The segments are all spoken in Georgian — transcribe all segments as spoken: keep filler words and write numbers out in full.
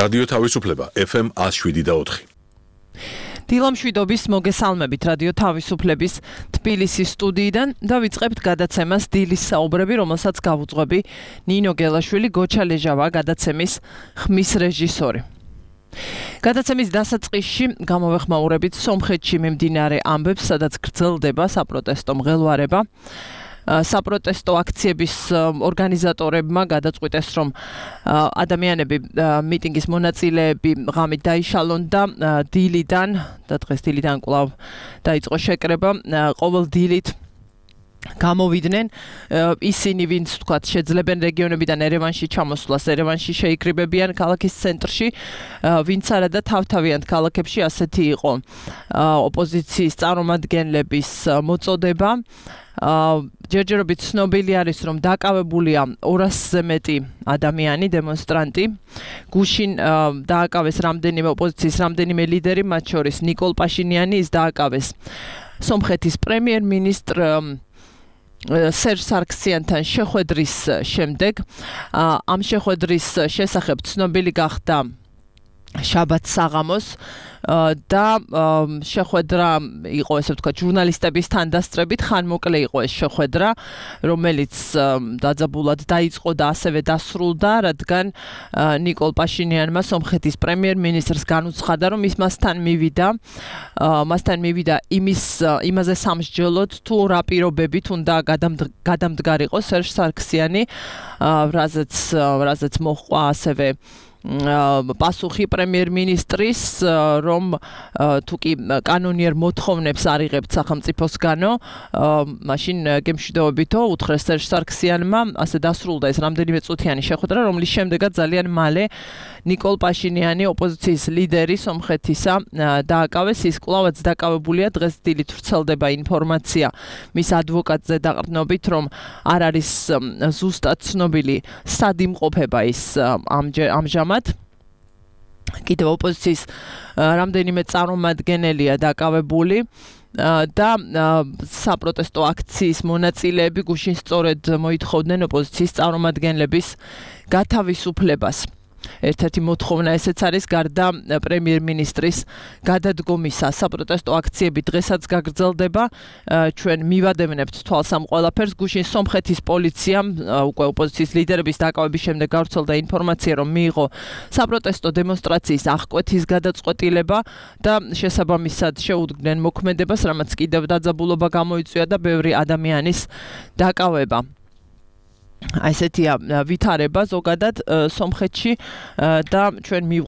რადიო თავისუფლება ეფ ემ one oh seven და four. დილამშვიდობის მოგესალმებით რადიო თავისუფლების თბილისის სტუდიიდან და ვიწყებთ გადაცემას დილის საუბრები, რომელსაც გავუძღვები ნინო გელაშვილი, გოჩა ლეჟავა გადაცემის ხმის რეჟისორი. გადაცემის დასაწყისში გამოვეხმაურებით სომხეთში მიმდინარე ამბებს, სადაც გრძელდება საპროტესტო მღელვარება. საპროტესტო აქციების ორგანიზატორებმა გადაწყვიტეს, რომ ადამიანები მიტინგის მონაწილეები ღამით დაიშალონ და დილიდან და დღეს დილიდან კვლავ დაიწყო შეკრება, ყოველ დილით გამოვიდნენ ისინი, ვინც თქვათ შეძლებენ რეგიონებიდან ერევანში ჩამოსვლას, ერევანში შეიკრიბებიან ქალაქის ცენტრში, ვინც არა და თავთავიანთ ქალაქებში ასეთი იყო ოპოზიციის წარმომადგენლების მოწოდება. ჯერჯერობით ცნობილი არის, რომ დაკავებულია ორასზე მეტი ადამიანი, დემონსტრანტი. გუშინ დააკავეს რამდენიმე ოპოზიციის რამდენიმე ლიდერი, მათ შორის ნიკოლ პაშინიანი, ის დააკავეს სომხეთის პრემიერ-მინისტრ სერჟ სარქსიანთან შეხვედრის შემდეგ. ამ შეხვედრის შესახებ ცნობილი გახდა შაბათ საღამოს და შეხვედრა იყო, ესე ვთქვათ, ჟურნალისტების თანდასწრებით, ხანმოკლე იყო ეს შეხვედრა, რომელიც დაძაბულად დაიწყო და ასევე დასრულდა, რადგან ნიკოლ პაშინიანმა სომხეთის პრემიერ-მინისტრს განუცხადა, რომ ის მასთან მივიდა, მასთან მივიდა იმის იმაზე სამსჯელოდ, თუ რა პირობებით უნდა გადამდგარიყო სერჟ სარქსიანი, რაზეც რაზეც მოჰყვა ასევე პასუხი პრემიერ-მინისტრის, რომ თუ კი კანონიერ მოთხოვნებს არ იღებთ სახელმწიფოსგანო, მაშინ გემშვიდობებითო უთხრეს სერჟ სარქსიანმა, ასე დასრულდა ეს რამდენიმე წუთიანი შეხვედრა, რომლის შემდეგაც ძალიან მალე ნიკოლ პაშინიანი, ოპოზიციის ლიდერი სომხეთისა, დააკავეს. ის კვლავაც დაკავებულია, დღეს დილით ვრცელდება ინფორმაცია მის ადვოკატზე დაყრდნობით, რომ არ არის ზუსტად ცნობილი სად იმყოფება ის ამჟამად. კიდევ ოპოზიციის რამდენიმე წარმომადგენელია დაკავებული და საპროტესტო აქციის მონაწილეები გუშინ სწორედ მოითხოვდნენ ოპოზიციის წარმომადგენლების გათავისუფლებას. ერთ-ერთი მოთხოვნა ესეც არის, გარდა პრემიერ-მინისტრის გადადგომისა. საპროტესტო აქციები დღესაც გაგრძელდება, ჩვენ მივადევნებთ თვალს ამ ყველაფერს. გუშინ სომხეთის პოლიციამ უკვე ოპოზიციის ლიდერების დაკავების შემდეგ გავრცელდა ინფორმაცია, რომ მიიღო საპროტესტო დემონსტრაციის აღკვეთის გადაწყვეტილება და შესაბამისად შეუდგნენ მოქმედებას, რამაც კიდევ დაძაბულობა გამოიწვია და ბევრი ადამიანის დაკავება. აი ესეთია ვითარება ზოგადად სომხეთში და ჩვენ მივ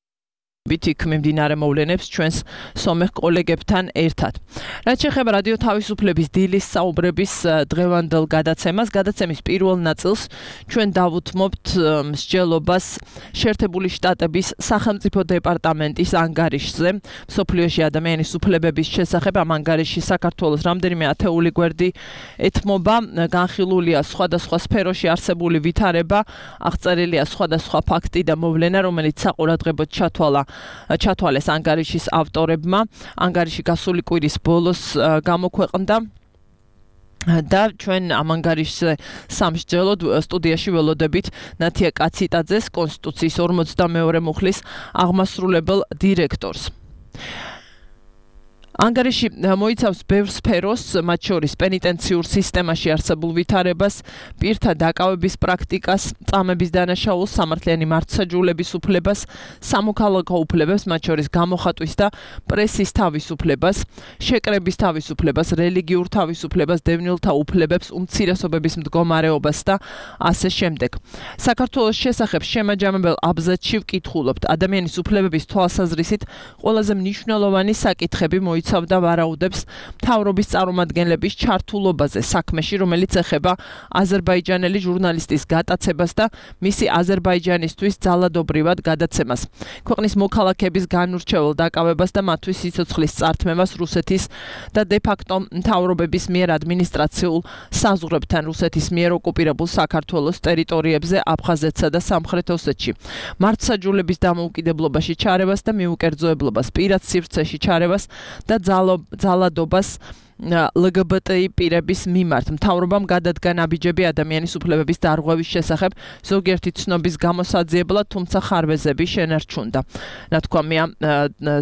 იქ მიმდინარე მოვლენებს ჩვენს სომეხ კოლეგებთან ერთად. რაც შეეხება რადიო თავისუფლების დილის საუბრების დღევანდელ გადაცემას, გადაცემის პირველ ნაწილს ჩვენ დავუთმობთ მსჯელობას შეერთებული შტატების სახელმწიფო დეპარტამენტის ანგარიშზე, მსოფლიოში ადამიანის უფლებების შესახებ. ამ ანგარიში საქართველოს რამდენიმე ათეული გვერდი ეთმობა, განხილულია სხვადასხვა სფეროში არსებული ვითარება, აღწერილია სხვადასხვა ფაქტი და მოვლენა, რომელიც საყურადღებოდ ჩათვალა ჩათვალეს ანგარიშის ავტორებმა. ანგარიში გასული კვირის ბოლოს გამოქვეყნდა და ჩვენ ამ ანგარიშზე სამსჯელოდ სტუდიაში ველოდებით ნათია კაციტაძეს, კონსტიტუციის ორმოცდამეორე მუხლის აღმასრულებელ დირექტორს. ანგარიში მოიცავს ბევრ სფეროს, მათ შორის პენიტენციურ სისტემაში არსებულ ვითარებას, პირთა დაკავების პრაქტიკას, წამების დანაშაულს, სამართლიანი მართლმსაჯულების უფლებას, სამოქალაქო უფლებებს, მათ შორის გამოხატვის და პრესის თავისუფლებას, შეკრების თავისუფლებას, რელიგიურ თავისუფლებას, დევნილთა უფლებებს, უმცირესობების მდგომარეობას და ასე შემდეგ. საქართველოს შესახებ შემაჯამებელ აბზაცში ვკითხულობთ, ადამიანის უფლებების თვალსაზრისით ყველაზე მნიშვნელოვანი საკითხები მოიცავს და ვარაუდებს მთავრობის წარმომადგენლების ჩართულობაზე საქმეში, რომელიც ეხება აზერბაიჯანელი ჟურნალისტის გატაცებას და მისი აზერბაიჯანისთვის ძალადობრივად გადაცემას. ქვეყნის მოქალაქეების განურჩეულ დაკავებას და მათთვის სიცოცხლის წართმევას რუსეთის და დე-ფაქტო მთავრობების მიერ ადმინისტრაციულ საზღვრებთან რუსეთის მიერ ოკუპირებულ საქართველოს ტერიტორიებზე, აფხაზეთსა და სამხრეთ ოსეთში. მართლმსაჯულების დამოუკიდებლობაში ჩარევას და მიუკერძოებლობას, პირად სივრცეში ჩარევას და ძალადობას L G B T I პირების მიმართ. მთავრობამ გადადგა ნაბიჯები ადამიანის უფლებების დარღვევის შესახებ, ზოგიერთი ცნობის გამოსაძიებლად, თუმცა ხარვეზები შენარჩუნდა. ნათქვამია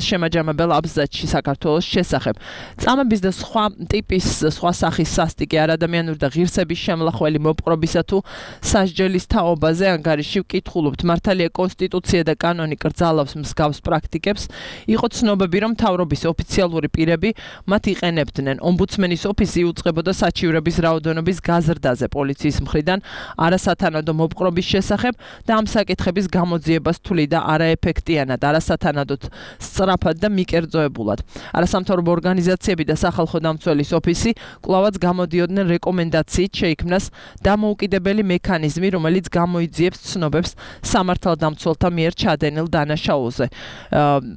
შემაჯამებელ აბზაცში საქართველოს შესახებ. წამების და სხვა ტიპის, სხვა სახის სასტიკი არადამიანური და ღირსების შემლახველი მოპყრობისა თუ სასჯელის თაობაზე ანგარიში ვკითხულობთ. მართალია კონსტიტუცია და კანონი კრძალავს მსგავს პრაქტიკებს. იყო ცნობები, რომ მთავრობის ოფიციალური პირები მათ იყენებდნენ. ომბუდსმენის ოფისი იუწყებოდა საჩივრების რაოდენობის გაზრდაზე პოლიციის მხრიდან არასათანადო მოპყრობის შესახებ და ამ საკითხების გამოძიებას თვლიდა არაეფექტიანად, არასათანადოდ სწრაფად და მიკერძოებულად. არასამთავრობო ორგანიზაციები და სახალხო დამცველის ოფისი კვლავაც გამოდიოდნენ რეკომენდაციით შეიქმნას დამოუკიდებელი მექანიზმი, რომელიც გამოიძიებს ცნობებს სამართალდამცველთა მიერ ჩადენილ დანაშაულზე.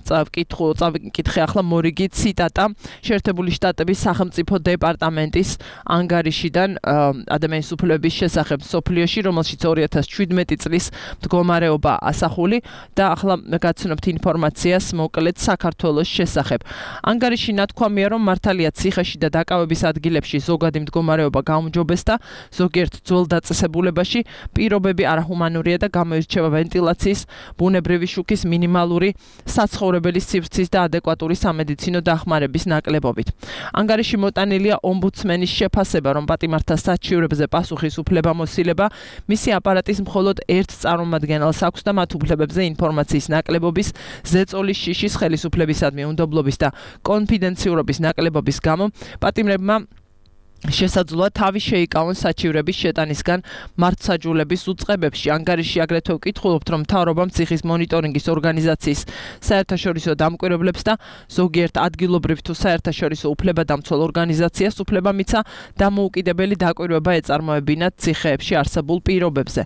წავკითხე ახლა მორიგი ციტატა შეერთებული შტატების სახელმწიფო დეპარტამენტის ანგარიშიდან ადამიანის უფლებების შესახებ სოფლიოში, რომელშიც ორი ათას შვიდმეტი წლის მდგომარეობა ასახული და ახლა გაცნობთ ინფორმაციას მოკლედ საქართველოს შესახებ. ანგარიში ნათქვამია, რომ მართალია ციხეში და დაკავების ადგილებში ზოგადი მდგომარეობა გაუმჯობესდა, ზოგიერთ ძველ დაწესებულებაში პირობები არაჰუმანურია და გამოირჩევა ვენტილაციის, ბუნებრივი შუქის, მინიმალური საცხოვრებელი სივრცის და ადეკვატური სამედიცინო დახმარების ნაკლებობით. ანგარიში მოტანილია ომბუდსმენის შეფასება, რომ პატიმართა საჩივრებზე პასუხისუფლებამოსილება მისი აპარატის მხოლოდ ერთ წარმომადგენელს აქვს და მათ უფლებებზე ინფორმაციის ნაკლებობის, ზეწოლის შიშის, ხელისუფლებისადმი უნდობლობის და კონფიდენციურობის ნაკლებობის გამო პატიმრებმა შესაძლოა თავი შეიკავონ საჩივრების შეტანისგან მართლმსაჯულების უწყებებში. ანგარიში აგრეთვე ვკითხულობთ, რომ მთავრობამ ციხის მონიტორინგის ორგანიზაციის საერთაშორისო დამკვირვებლებს და ზოგიერთ ადგილობრივ თუ საერთაშორისო უფლებადამცველ ორგანიზაციას უფლება მიცა დამოუკიდებელი დაკვირვება ეწარმოებინათ ციხეებში არსებულ პირობებზე.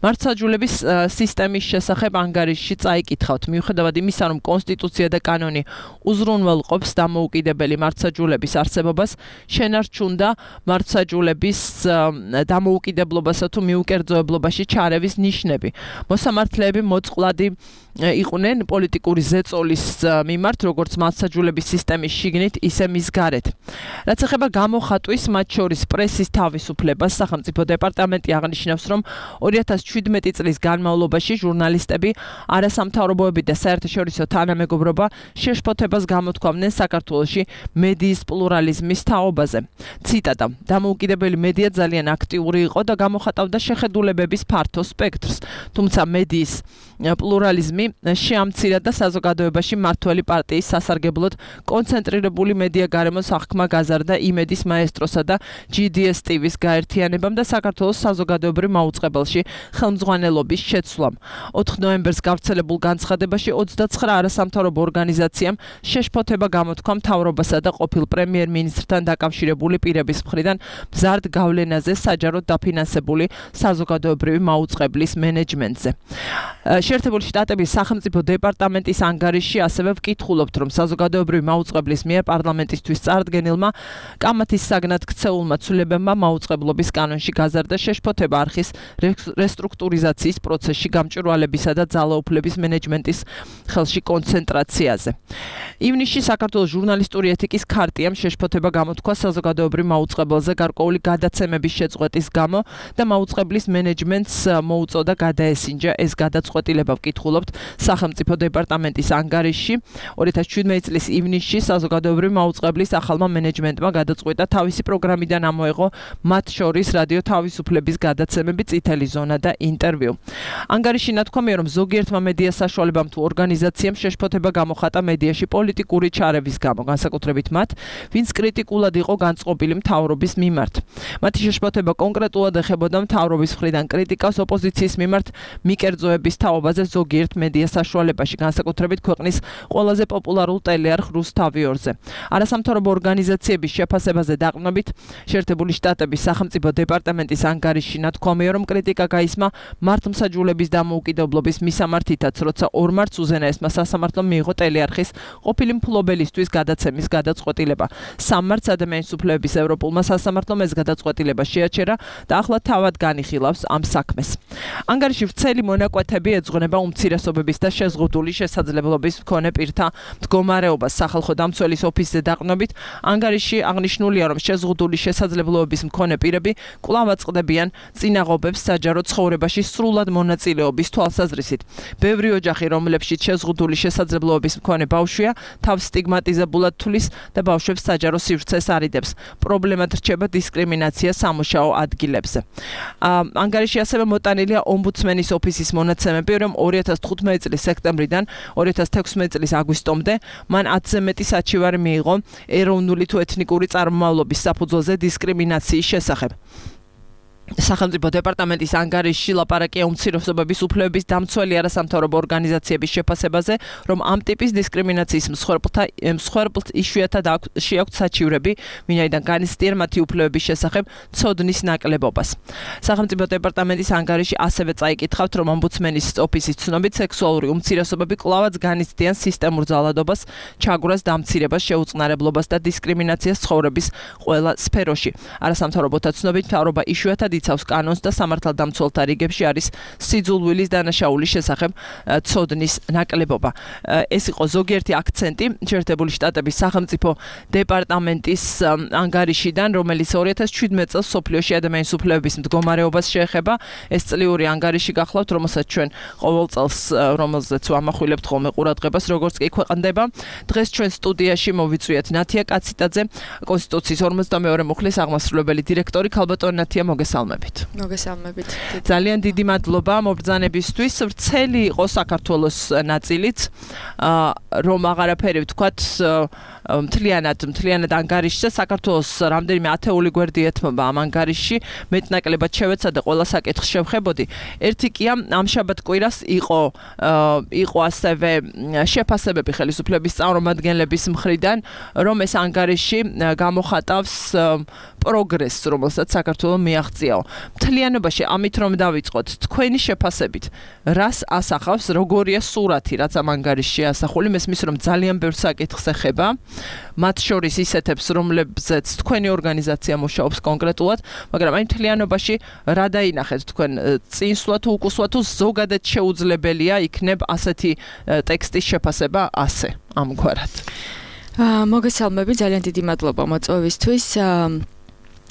მართლმსაჯულების სისტემის შესახებ ანგარიშში წაიკითხავთ. მიუხედავად იმისა, რომ კონსტიტუცია და კანონი უზრუნველყოფს დამოუკიდებელი მართლმსაჯულების არსებობას, შენარჩუნდა მართლმსაჯულების დამოუკიდებლობასა თუ მიუკერძოებლობაში ჩარევის ნიშნები. მოსამართლეები მოწყვლადი იყვნენ პოლიტიკური ზეწოლის მიმართ, როგორც მართლმსაჯულების სისტემის შიგნით, ისე მის გარეთ. რაც ეხება გამოხატვის, მათ შორის პრესის თავისუფლებას, სახელმწიფო დეპარტამენტი აღნიშნავს, რომ ორი ათას შვიდმეტი წლის განმავლობაში ჟურნალისტები, არასამთავრობოები და საერთაშორისო თანამეგობრობა შეშფოთებას გამოთქვამდნენ საქართველოში მედიის პლურალიზმის თაობაზე. ციტატა: დამოუკიდებელი მედია ძალიან აქტიური იყო და გამოხატავდა შეხედულებების ფართო სპექტრს, თუმცა მედიის პლურალიზმი შეამცირა და საზოგადოებაში მმართველი პარტიის სასარგებლოდ კონცენტრირებული მედია გარემოს აღქმა გაზარდა იმედის მაესტროსა და ჯი დი ეს ტი ვის გაერთიანებამ და საქართველოს საზოგადოებრივ მაუწყებელში ხელმძღვანელობის შეცვლამ. ოთხ ნოემბერს გავრცელებულ განცხადებაში ოცდაცხრა არასამთავრობო ორგანიზაციამ შეშფოთება გამოთქვა მთავრობასა და ყოფილ პრემიერ-მინისტრთან დაკავშირებული პირების მხრიდან მზარდ გავლენაზე საჯაროდ დაფინანსებული საზოგადოებრივი მაუწყებლის მენეჯმენტზე. შეერთებული შტატების სახელმწიფო დეპარტამენტის ანგარიში ასევე ვკითხულობთ, რომ საზოგადოებრივი მაუწყებლის მიერ პარლამენტისთვის წარდგენილმა კამათის საგნად ქცეულმა ცვლილებებმა მაუწყებლობის კანონში გაზარდა შეშფოთება არხის რესტრუქტურიზაციის პროცესში გამჭვირვალებისა და ძალაუფლების მენეჯმენტის ხელში კონცენტრაციაზე. ივნისში საქართველოს ჟურნალისტური ეთიკის ქარტიამ შეშფოთება გამოთქვა საზოგადოებრივ მაუწყებელზე გარკვეული გადაცემების შეწყვეტის გამო და მაუწყებლის მენეჯმენტს მოუწოდა გადაესინჯა ეს გადაწყვეტილება. ვკითხულობთ სახელმწიფო დეპარტამენტის ანგარიში. ორი ათას შვიდმეტი წლის ივნისში საზოგადოებრივ მაუწყებლის ახალმა მენეჯმენტმა გადაწყვიტა თავისი პროგრამიდან ამოეღო მათ შორის რადიო თავისუფლების გადაცემები, წითელი ზონა და ინტერვიუ. ანგარიში ნათქვამია, რომ ზოგიერთმა მედია საშუალებამ თუ ორგანიზაციამ შეშფოთება გამოხატა მედიაში პოლიტიკური ჩარევის გამო, განსაკუთრებით მათ, ვინც კრიტიკულად იყო განწყობილი მთავრობის მიმართ. მათი შეშფოთება კონკრეტულად ეხებოდა მთავრობის მხრიდან კრიტიკას ოპოზიციის მიმართ მიკერძოების თაობაზე ზოგიერთ მედია საშუალებაში, განსაკუთრებით ქვეყნის ყველაზე პოპულარულ ტელეარხ რუსთავიორზე. არასამთავრობო ორგანიზაციების შეფასებაზე დაყრდნობით, შეერთებული შტატების სახელმწიფო დეპარტამენტის ანგარიში ნათქვამია, რომ კრიტიკა გაისმა მართლმსაჯულების დამოუკიდებლობის მისამართითაც, როცა ორ მარტს უზენაესმა სასამართლომ მიიღო ტელეარხის ყოფილი მფლობელისთვის გადაცემის გადაწყვეტილება. სამ მარტს ადამიანის უფლებების ევროპულმა სასამართლომ ეს გადაწყვეტილება შეაჩერა და ახლა თავად განიხილავს ამ საქმეს. ანგარიში ვრცელი მონაკვეთები ეძღვნება უმცირესობ უმცირესობების და შეზღუდული შესაძლებლობის მქონე პირთა მდგომარეობას სახალხო დამცველის ოფისზე დაყრდნობით ანგარიში აღნიშნულია, რომ შეზღუდული შესაძლებლობების მქონე პირები კვლავ აწყდებიან წინაღობებს საჯარო ცხოვრებაში სრულად მონაწილეობის თვალსაზრისით. ბევრი ოჯახი, რომლებშიც შეზღუდული შესაძლებლობების მქონე ბავშვია, თავს სტიგმატიზებულად თვლის და ბავშვებს საჯარო სივრცეს არიდებს. პრობლემად რჩება დისკრიმინაცია სამუშაო ადგილებზე. ანგარიში ასევე მოტანილია ომბუდსმენის ოფისის მონაცემები, რომ ორი ათას თხუთმეტი წლის სექტემბრიდან ორი ათას თექვსმეტი წლის აგვისტომდე მან ათზე მეტი საჩივარი მიიღო ეროვნული თუ ეთნიკური წარმომავლობის საფუძველზე დისკრიმინაციის შესახებ. სახელმწიფო დეპარტამენტის ანგარიშში ლაპარაკია უმცირესობების უფლებების დამცველი არასამთავრობო ორგანიზაციების შეფასებაზე, რომ ამ ტიპის დისკრიმინაციის მსხვერპლთა მსხვერპლთ იშვიათად შეაქვთ საჩივრები, ვინაიდან განიცდიან მათი უფლებების შესახებ ცოდნის ნაკლებობას. სახელმწიფო დეპარტამენტის ანგარიში ასევე წაიკითხავთ, რომ ომბუდსმენის ოფისის ცნობით სექსუალური უმცირესობები კვლავაც განიცდიან სისტემურ ძალადობას, ჩაგვრას, დამცირებას, შეუწყნარებლობას და დისკრიმინაციას ცხოვრების ყველა სფეროში. არასამთავრობოთა ცნობით მთავრობა იშვიათად იცავს კანონს და სამართალდამცველთა რიგებში არის სიძულვილის დანაშაულის შესახებ ცოდნის ნაკლებობა. ეს იყო ზოგიერთი აქცენტი შეერთებული შტატების სახელმწიფო დეპარტამენტის ანგარიშიდან, რომელიც ორი ათას შვიდმეტი წელს მსოფლიოში ადამიანის უფლებების მდგომარეობას შეეხება. ეს წლიური ანგარიში გახლავთ, რომელსაც ჩვენ ყოველ წელს რომელზეც ვამახვილებთ ხოლმე ყურადღებას, როგორც კი ქვეყნდება. დღეს ჩვენ სტუდიაში მოვიწვიეთ ნათია კაციტაძე, კონსტიტუციის ორმოცდამეორე მუხლის აღმასრულებელი დირექტორი. ქალბატონი ნათია, მოგესალმებით. მოგესალმებით. ძალიან დიდი მადლობა მობრძანებისთვის. ვრცელი იყო საქართველოს ნაწილიც, რომ აღარაფერი ვთქვათ, მთლიანად, მთლიანად ანგარიშზე საქართველოს რამდენიმე ათეული გვერდი ეთმობა ამ ანგარიშში, მეტნაკლებად შევეცა და ყველა საკითხს შევხებოდი. ერთი კი ამ შაბათ კვირას იყო იყო ასევე შეფასებები ხელისუფლების წარმომადგენლების მხრიდან, რომ ეს ანგარიში გამოხატავს პროგრესს, რომელსაც საქართველო მიაღწიაო. მთლიანობაში ამით რომ დავიწყოთ, თქვენი შეფასებით, რას ასახავს, როგორია სურათი, რაც ამ ანგარიშში ასახული, მესმის რომ ძალიან ბევრ საკითხს ეხება, მათ შორის ისეთებს, რომლებზეც თქვენი ორგანიზაცია მუშაობს კონკრეტულად, მაგრამ აი მთლიანობაში რა დაინახეთ თქვენ, წინსვლა თუ უკუსვლა თუ ზოგადად შეუძლებელია იქნებ ასეთი ტექსტის შეფასება ასე, ამგვარად. მოგესალმები, ძალიან დიდი მადლობა მოწვევისთვის.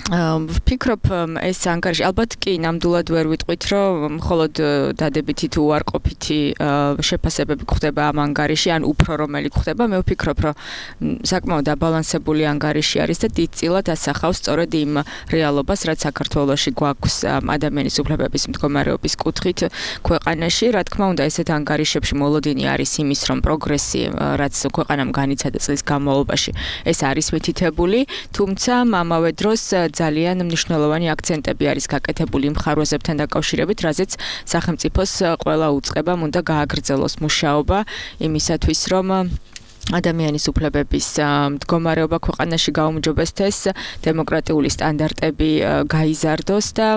ვფიქრობ, ეს ანგარიში ალბათ კი ნამდვილად ვერ ვიტყვით, რომ მხოლოდ დადებითი თუ უარყოფითი შეფასებები გვხდება ამ ანგარიში, ან უფრო რომელი გვხდება. მე ვფიქრობ, რომ საკმაოდ აბალანსებული ანგარიში არის და დიდწილად ასახავს სწორედ იმ რეალობას, რაც საქართველოში გვაქვს ადამიანის უფლებების მდგომარეობის კუთხით ქვეყანაში. რა თქმა უნდა, ესეთ ანგარიშებში მოლოდინი არის იმის, რომ პროგრესი, რაც ქვეყანამ განიცადა წლის განმავლობაში, ეს არის მითითებული, თუმცა ამავე დროს ძალიან მნიშვნელოვანი აქცენტები არის გაკეთებული მხარვაზებთან დაკავშირებით, რაზეც სახელმწიფოს ყველა უწყებამ უნდა გააგრძელოს მუშაობა იმისათვის, რომ ადამიანის უფლებების მდგომარეობა ქვეყანაში გაუმჯობესდეს, დემოკრატიული სტანდარტები გაიზარდოს და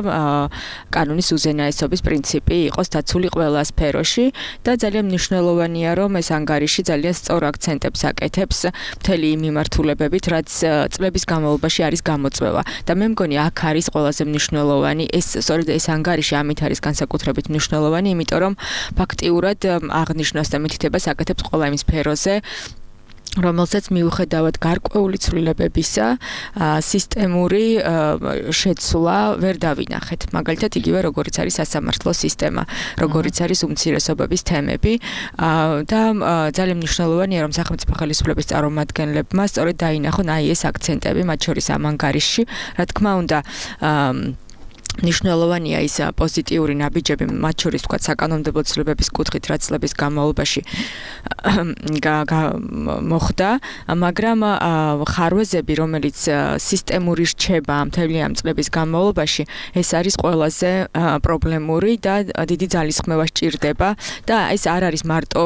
კანონის უზენაესობის პრინციპი იყოს დაცული ყველა სფეროში და ძალიან მნიშვნელოვანია, რომ ეს ანგარიში ძალიან სწორ აქცენტებს აკეთებს მთელი იმ მიმართულებებით, რაც წლების განმავლობაში არის გამოწვევა. და მე მგონი აქ არის ყველაზე მნიშვნელოვანი ეს სწორედ ეს ანგარიში ამით არის განსაკუთრებით მნიშვნელოვანი, იმიტომ რომ ფაქტიურად აღნიშნავს და მითითებას აკეთებს ყველა იმ სფეროზე, რომელსაც მიუხედავად გარკვეული ცვლილებებისა, სისტემური შეცვლა ვერ დავინახეთ. მაგალითად, იგივე როგორიც არის სასამართლო სისტემა, როგორიც არის უმცირესობების თემები და ძალიან მნიშვნელოვანია, რომ სახელმწიფო ხელისუფლების წარმომადგენლებმა სწორედ დაინახონ აი ეს აქცენტები, მათ შორის ამ ანგარიშში. რა თქმა უნდა, მნიშვნელოვანია ის პოზიტიური ნაბიჯები, მათ შორის თქვა საკანონმდებლო ცვლილებების კუთხით, რაც წლების განმავლობაში მოხდა, მაგრამ ხარვეზები, რომელიც სისტემური რჩება მთელი ამ წლების განმავლობაში, ეს არის ყველაზე პრობლემური და დიდი ძალისხმევა სჭირდება და ეს არ არის მარტო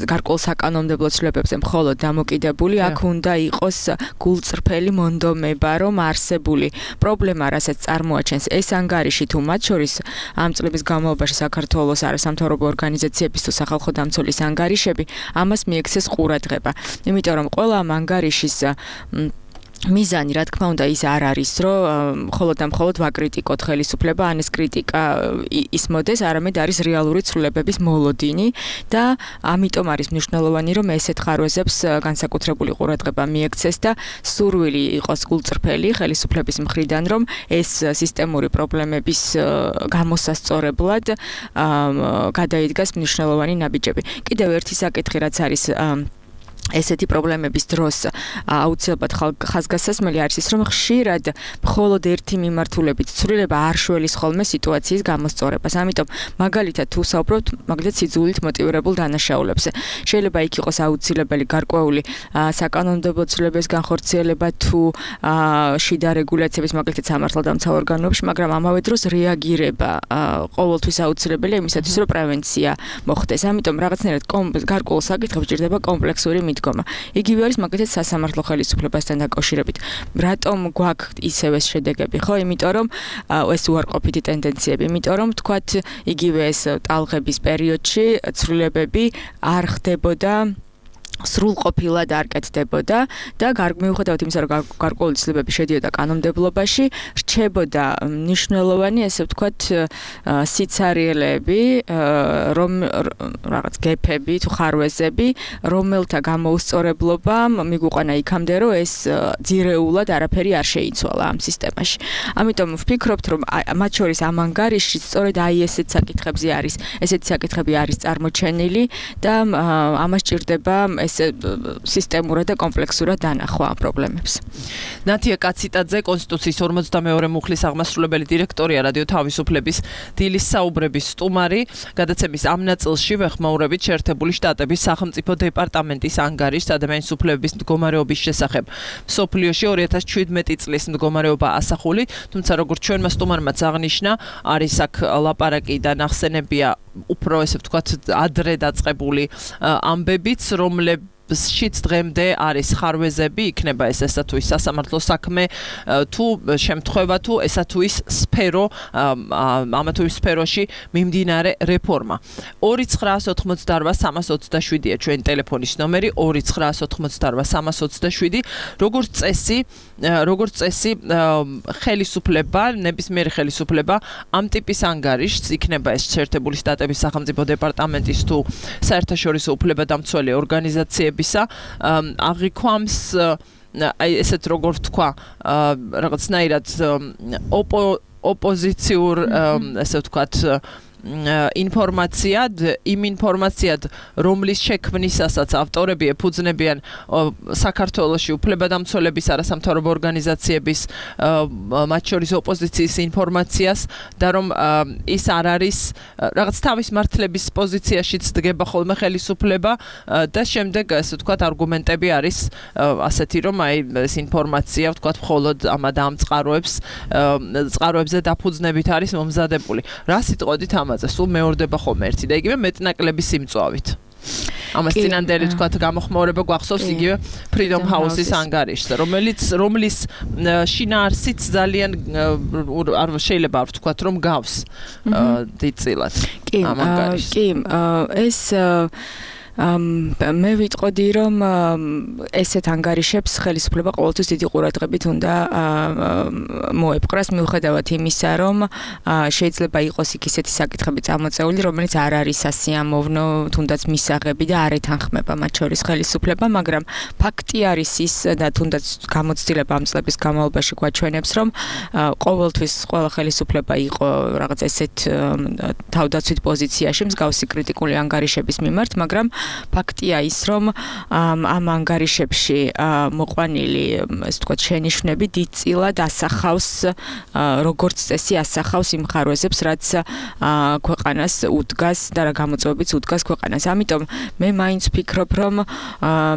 გარკვეულ საკანონმდებლო ცვლილებებზე მხოლოდ დამოკიდებული, აქ უნდა იყოს გულწრფელი მონდომება, რომ არსებული პრობლემა რასაც წარმოაჩენს ეს ანგარიში თუ მათ შორის ამ წლების განმავლობაში საქართველოს არასამთავრობო ორგანიზაციების თუ სახალხო დამცველის ანგარიშები ამას მიექცეს ყურადღება. იმიტომ რომ ყველა ამ ანგარიშის მიზანი რა თქმა უნდა ის არ არის რომ მხოლოდ და მხოლოდ ვაკრიტიკოთ ხელისუფლება ან ეს კრიტიკა ის მოდეს არამედ არის რეალური ცვლილებების მოლოდინი და ამიტომ არის მნიშვნელოვანი რომ ესეთ ხარვეზებს განსაკუთრებული ყურადღება მიექცეს და სურვილი იყოს გულწრფელი ხელისუფლების მხრიდან რომ ეს სისტემური პრობლემების გამოსასწორებლად გადაიდგას მნიშვნელოვანი ნაბიჯები. კიდევ ერთი საკითხი რაც არის ესეთი პრობლემების დროს აუცილებლად ხაზგასასმელი არის ის რომ ხშირად მხოლოდ ერთი მიმართულებით ცვლილება არ შველის ხოლმე სიტუაციის გამოსწორებას. ამიტომ მაგალითად თუ საუბრობთ მაგალითად სიძულით მოტივირებულ დანაშაულებზე შეიძლება იქ იყოს აუცილებელი გარკვეული საკანონმდებლო ცვლილებების განხორციელება თუ შიდა რეგულაციების მაგალითად სამართალდამცავ ორგანოებში, მაგრამ ამავე დროს რეაგირება ყოველთვის აუცილებელია იმისათვის რომ პრევენცია მოხდეს. ამიტომ რაღაცნაირად გარკვეულ საკითხებს ჭირდება კომპლექსური მიდგომა. იგივე არის მაგალითად სასამართლო ხელისუფლებასთან დაკავშირებით. რატომ გვაქვს ისევ ეს შედეგები, ხო? იმიტომ რომ ეს უარყოფითი ტენდენციები, იმიტომ რომ თქვათ იგივე ეს ტალღების პერიოდში ცვლილებები არ ხდებოდა სრულყოფილად არ კეთდებოდა და მიუხედავად იმისა რომ გარკვეული ცვლილებები შედიოდა კანონმდებლობაში, რჩებოდა მნიშვნელოვანი ესე ვთქვათ სიცარიელეები, რომ რაღაც გეფები თუ ხარვეზები, რომელთა გამოუსწორებლობამ მიგვიყვანა იქამდე რომ ეს ძირეულად არაფერი არ შეიცვალა ამ სისტემაში. ამიტომ ვფიქრობთ რომ მათ შორის ამ ანგარიშში სწორედ აი ესეთ საკითხებზე არის, ესეთი საკითხები არის წარმოჩენილი და ამას ჭირდება ეს სისტემურად და კომპლექსურად დანახვა ამ პრობლემებს. ნათია კაციტაძე, კონსტიტუციის ორმოცდამეორე მუხლის აღმასრულებელი დირექტორია, რადიო თავისუფლების დილის საუბრების სტუმარი. გადაცემის ამ ნაწილში ვეხმაურებით შეერთებული შტატების სახელმწიფო დეპარტამენტის ანგარიშს ადამიანის უფლებების მდგომარეობის შესახებ. მსოფლიოში ორი ათას შვიდმეტი წლის მდგომარეობა ასახული, თუმცა როგორც ჩვენმა სტუმარმაც აღნიშნა, არის აქ ლაპარაკი და ნახსენებია უფრო ესე ვთქვათ ადრე დაწყებული ამბებიც, რომლებშიც დღემდე არის ხარვეზები, იქნება ეს ესა თუ ის სასამართლო საქმე თუ შემთხვევა თუ ესა თუ ის სფერო, ამა თუ ის სფეროში მიმდინარე რეფორმა. ორი ცხრაას ოთხმოცდარბა სამას ოცდაშვიდია ჩვენი ტელეფონის ნომერი ორი ცხრაას ოთხმოცდარბა სამას ოცდაშვიდი. როგორც წესი, როგორც წესი ხელისუფლება, ნებისმიერი ხელისუფლება ამ ტიპის ანგარიშს იქნება ეს შეერთებული შტატების სახელმწიფო დეპარტამენტის თუ საერთაშორისო უფლებადამცველი ორგანიზაციებისა აღიქვამს აი ესეთ როგორ ვთქვა რაღაცნაირად ოპოზიციურ ესე ვთქვათ ინფორმაციად, იმ ინფორმაციად, რომლის შექმნისასაც ავტორები ეფუძნებიან საქართველოში უფლებადამცველების არასამთავრობო ორგანიზაციების, მათ შორის ოპოზიციის ინფორმაციას და რომ ის არ არის რაღაც თავის მართლების პოზიციაშიც დგება ხოლმე ხელისუფლება და შემდეგ ასე ვთქვათ არგუმენტები არის ასეთი რომ აი ეს ინფორმაცია ვთქვათ მხოლოდ ამ ამ წყაროებს წყაროებზე დაფუძნებით არის მომზადებული. რა სიტყვით ამ სულ მეორდება ხოლმე ერთი და იგივე მეტნაკლები სიმწვავით. ამას წინანდელი თქვათ გამოხმაურება გვახსოვს იგივე Freedom House-ის ანგარიშს, რომელიც რომლის შინაარსიც ძალიან არ შეიძლება არ ვთქვათ რომ გავს დიდწილად ამ ანგარიშს. კი, ეს მე ვიტყოდი რომ ესეთ ანგარიშებს ხელისუფლება ყოველთვის დიდი ყურადღებით უნდა მოეპყრას მიუხედავად იმისა რომ შეიძლება იყოს იქ ისეთი საკითხები წამოწეული რომელიც არ არის სასიამოვნო თუნდაც მისაღები და არ ეთანხმება მათ შორის ხელისუფლება, მაგრამ ფაქტი არის ის და თუნდაც გამოცდილება ამ წლების განმავლობაში გვაჩვენებს რომ ყოველთვის ყველა ხელისუფლება იყო რაღაც ესეთ თავდაცვით პოზიციაში მსგავსი კრიტიკული ანგარიშების მიმართ, მაგრამ ფაქტია ის რომ ამ ანგარიშებში მოყვანილი ესე ვთქვათ შენიშვნები დიდწილად ასახავს როგორც წესი ასახავს იმ ხარვეზებს რაც ქვეყანას უდგას და რა გამოწვევებიც უდგას ქვეყანას. ამიტომ მე მაინც ვფიქრობ რომ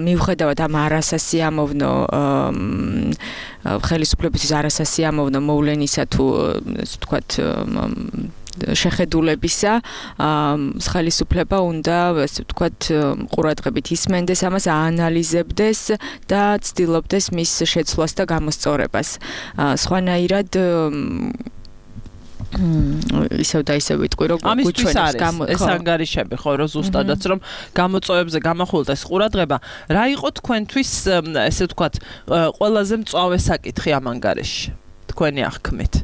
მიუხედავად ამ არასასიამოვნო ხელისუფლებისთვის არასასიამოვნო მოვლენისა თუ ესე ვთქვათ შეხედულებისა ხელისუფლება უნდა ესე ვთქვათ ყურადღებით ისმენდეს ამას, აანალიზებდეს და ცდილობდეს მის შეცვლას და გამოსწორებას. სხვანაირად ისევ და ისევ ვიტყვი რომ გუჩვენებს ეს ანგარიშები ხო რომ ზუსტადაც რომ გამოწვევებზე გამახვილდეს ყურადღება რა იყო თქვენთვის ესე ვთქვათ ყველაზე მწვავე საკითხი ამ ანგარიშში თქვენი აღქმით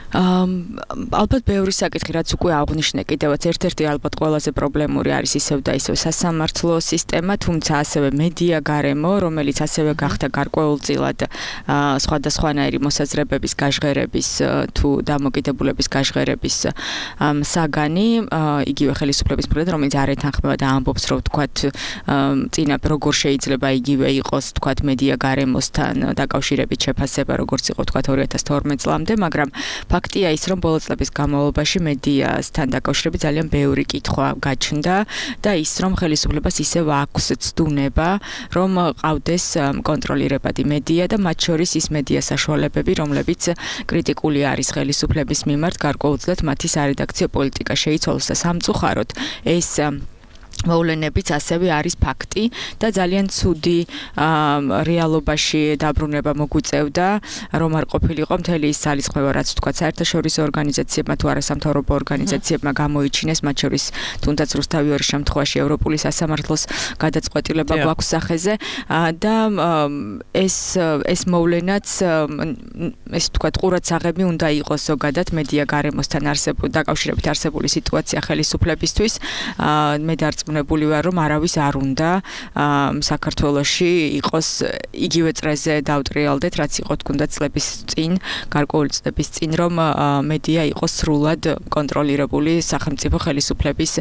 ალბათ ბევრი საკითხი რაც უკვე აღნიშნე კიდევაც ერთ-ერთი ალბათ ყველაზე პრობლემური არის ისევ და ისევ სასამართლო სისტემა თუმცა ასევე მედია გარემო რომელიც ასევე გახდა გარკვეულწილად სხვადასხვანაირი მოსაზრებების გაჟღერების თუ დამოკიდებულების გაჟღერების საგანი იგივე ხელისუფლების მხრიდან რომელიც არ ეთანხმება და ამბობს რომ ვთქვათ წინა როგორ შეიძლება იგივე იყოს ვთქვათ მედია გარემოსთან დაკავშირებით შეფასება როგორც იყო ვთქვათ ორი ათას თორმეტ წლამდე მაგრამ ფაქტია ის რომ ბოლო წლების განმავლობაში მედიასთან დაკავშირებით ძალიან ბევრი კითხვა გაჩნდა და ის რომ ხელისუფლებას ისევ აქვს ცდუნება რომ ყავდეს კონტროლირებადი მედია და მათ შორის ის მედია საშუალებები რომლებიც კრიტიკული არის ხელისუფლების მიმართ გარკვეულწილად მათი სარედაქციო პოლიტიკა შეიცვალოს და სამწუხაროდ ეს მოვლენებიც ასევე არის ფაქტი და ძალიან ცუდი რეალობაში დაბრუნება მოგვიწევდა რომ არ ყოფილიყო მთელი ის ძალისხმევა რაც თქვა საერთაშორისო ორგანიზაციებმა თუ არასამთავრობო ორგანიზაციებმა გამოიჩინეს მათ შორის თუნდაც რუსთავი ორი შემთხვევაში ევროპული სასამართლოს გადაწყვეტილება გვაქვს სახეზე და ეს ეს მოვლენაც ეს თქვა ყურადსაღები უნდა იყოს ზოგადად მედია გარემოსთან არსებული დაკავშირებით არსებული სიტუაცია ხელისუფლებისთვის მე დარწმუნებული ვარ რომ არავის არ უნდა საქართველოში იყოს იგივე წრეზე დავტრიალდეთ რაც იყო თუნდაც წლების წინ გარკვეული წლების წინ რომ მედია იყოს სრულად კონტროლირებული სახელმწიფო ხელისუფლების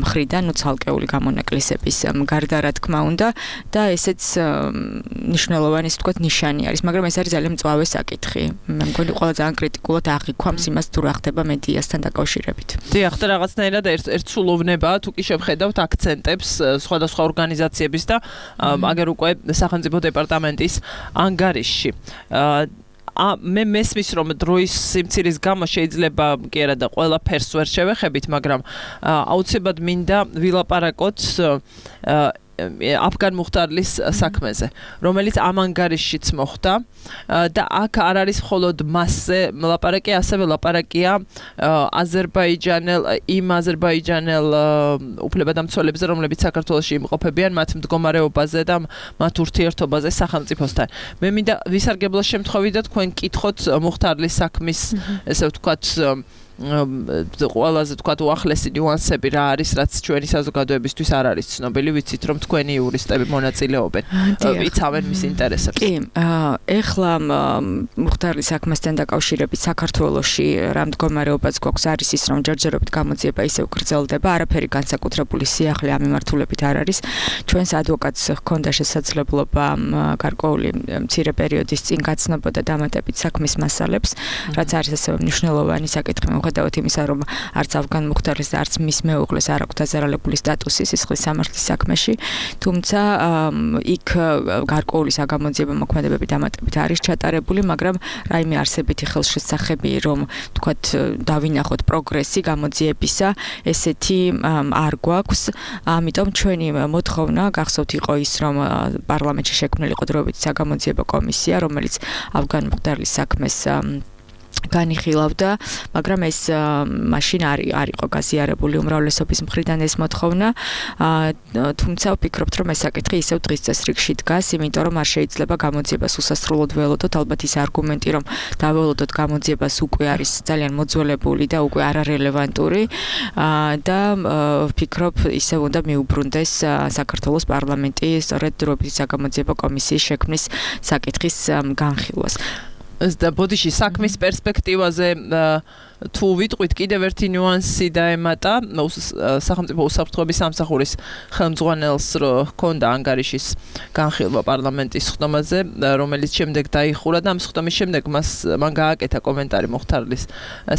მხრიდან ნუ ცალკეული გამონაკლისების გარდა რა თქმა უნდა და ესეც მნიშვნელოვანი ისე ვთქვათ ნიშანი არის მაგრამ ეს არის ძალიან მწვავე საკითხი მე მგონი ყველა ძალიან კრიტიკულად აღიქვამს იმას თუ რა ხდება მედიასთან დაკავშირებით დიახ და რაღაცნაირად ერთსულოვნებაა თუ კი შევხედავთ აქცენტებს სხვადასხვა ორგანიზაციების და აგერ უკვე სახელმწიფო დეპარტამენტის ანგარიშში ა მე მესმის რომ დროის სიმცირის გამო შეიძლება კი არა და ყველაფერს ვერ შევეხებით მაგრამ აუცილებლად მინდა ვილაპარაკოთ აფგან მუხტარლის საქმეზე, რომელიც ამ ანგარიშშიც მოხდა და აქ არ არის მხოლოდ მასზე ლაპარაკი, ასევე ლაპარაკია აზერბაიჯანელ იმ აზერბაიჯანელ უფლებადამცველებზე, რომლებიც საქართველოში იმყოფებიან მათ მდგომარეობაზე და მათ ურთიერთობაზე სახელმწიფოსთან. მე მინდა ვისარგებლო შემთხვევით და თქვენ კითხოთ მუხტარლის საქმის ესე ვთქვათ ყველაზე თქვათ უახლესი ნიუანსები რა არის, რაც ჩვენი საზოგადოებისთვის არ არის ცნობილი, ვიცით რომ თქვენი იურისტები მონაწილეობენ, იცავენ მის ინტერესებს. კი, ეხლა მუხტარლის საქმესთან დაკავშირებით საქართველოში რა მდგომარეობაც გვაქვს არის ის რომ ჯერჯერობით გამოძიება ისევ გრძელდება, არაფერი განსაკუთრებული სიახლე ამ მიმართულებით არ არის. ჩვენს ადვოკატს ჰქონდა შესაძლებლობა გარკვეული მცირე პერიოდის წინ გაცნობოდა დამატებით საქმის მასალებს, რაც არის ასევე მნიშვნელოვანი საკითხი. მიუხედავად იმისა, რომ არც აფგან მუხტარლის და არც მის მეუღლეს არ აქვთ დაზარალებული სტატუსი სისხლის სამართლის საქმეში, თუმცა იქ გარკვეული საგამოძიებო მოქმედებები დამატებით არის ჩატარებული, მაგრამ რაიმე არსებითი ხელშესახები, რომ თქვათ დავინახოთ პროგრესი გამოძიებისა, ესეთი არ გვაქვს. ამიტომ ჩვენი მოთხოვნა გახსოვთ იყო ის, რომ პარლამენტში შექმნილიყო დროებითი საგამოძიებო კომისია, რომელიც აფგან მუხტარლის საქმეს განიხილავდა, მაგრამ ეს მაშინ არ არ იყო გაზიარებული უმრავლესობის მხრიდან ეს მოთხოვნა. თუმცა ვფიქრობთ, რომ ეს საკითხი ისევ დღის წესრიგში დგას, იმიტომ რომ არ შეიძლება გამოძიებას უსასრულოდ ველოდოთ. ალბათ ის არგუმენტი, რომ დაველოდოთ გამოძიებას უკვე არის ძალიან მოძველებული და უკვე არარელევანტური და ვფიქრობ, ისევ უნდა მიუბრუნდეს საქართველოს პარლამენტი სწორედ დროებითი საგამოძიებო კომისიის შექმნის საკითხის განხილვას. და ბოდიში საქმის პერსპექტივაზე თუ ვიტყვით კიდევ ერთი ნიუანსი დაემატა სახელმწიფო უსაფრთხოების სამსახურის ხელმძღვანელს ჰქონდა ანგარიშის განხილვა პარლამენტის ხდომაზე, რომელიც შემდეგ დაიხურა და ამ ხდომის შემდეგ მას მან გააკეთა კომენტარი მუხტარლის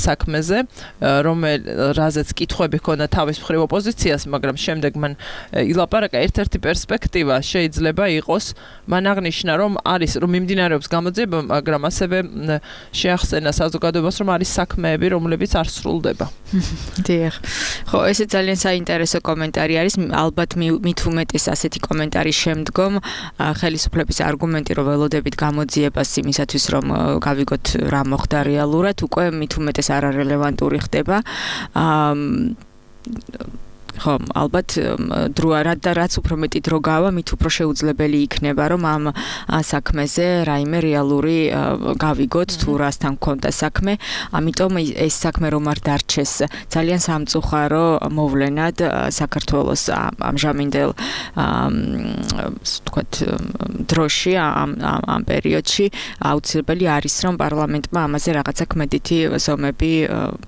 საქმეზე, რომელ რაზეც კითხვები ჰქონდა თავის მხრივ ოპოზიციას, მაგრამ შემდეგ მან ილაპარაკა ერთ-ერთი პერსპექტივა შეიძლება იყოს, მან აღნიშნა რომ არის რომ მიმდინარეობს გამოძიება, მაგრამ ასევე შეახსენა საზოგადოებას რომ არის საქმეები რომლებიც არ სრულდება. დიახ. ხო, ესე ძალიან საინტერესო კომენტარი არის. ალბათ მით უმეტეს ასეთი კომენტარის შემდგომ ხელისუფლების არგუმენტი, რომ ველოდებით გამოძიებას იმისათვის, რომ გავიგოთ რა მოხდა რეალურად, უკვე მით უმეტეს არარელევანტური ხდება. აა ხო, ალბათ დრო და რაც უფრო მეტი დრო გავა, მით უფრო შეუძლებელი იქნება, რომ ამ საქმეზე რაიმე რეალური გავიგოთ თუ რასთან გქონდა საქმე. ამიტომ ეს საქმე რომ არ დარჩეს ძალიან სამწუხარო მოვლენად საქართველოს ამჟამინდელ თქვათ დროში ამ ამ პერიოდში აუცილებელი არის რომ პარლამენტმა ამაზე რაღაცა ქმედითი ზომები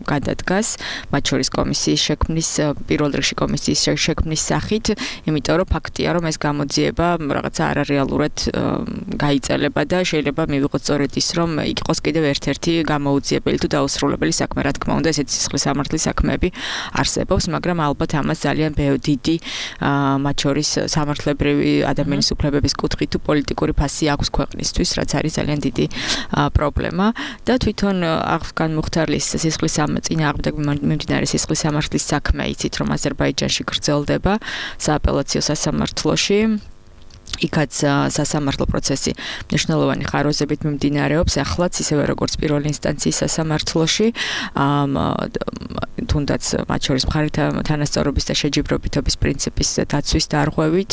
გადადგას, მათ შორის კომისიის შექმნის პირველ რიგში კომისიის შექმნის სახით, იმიტომ რომ ფაქტია, რომ ეს გამოძიება რაღაცა არარეალურად გაიწელება და შეიძლება მივიღოთ სწორედ ის, რომ იყოს კიდევ ერთ-ერთი გამოუძიებელი თუ დაუსრულებელი საქმე, რა თქმა უნდა, ესეთი სისხლის სამართლის საქმეები არსებობს, მაგრამ ალბათ ამას ძალიან დიდი, მათ შორის სამართლებრივი ადამიანის უფლებების კუთხით თუ პოლიტიკური ფასი აქვს ქვეყნისთვის, რაც არის ძალიან დიდი პრობლემა და თვითონ აღგან მუხთარლის სისხლის წინააღმდეგ მიმდინარე სისხლის სამართლის საქმე, იცით, რომ აზერბაიჯანში გრძელდება სააპელაციო სასამართლოში. იქაც სასამართლო პროცესი მნიშვნელოვანი ხარვეზებით მიმდინარეობს ახლაც ისევე როგორც პირველი ინსტანციის სასამართლოში თუნდაც მათ შორის მხარეთა თანასწორობის და შეჯიბრობითობის პრინციპის დაცვის დარღვევით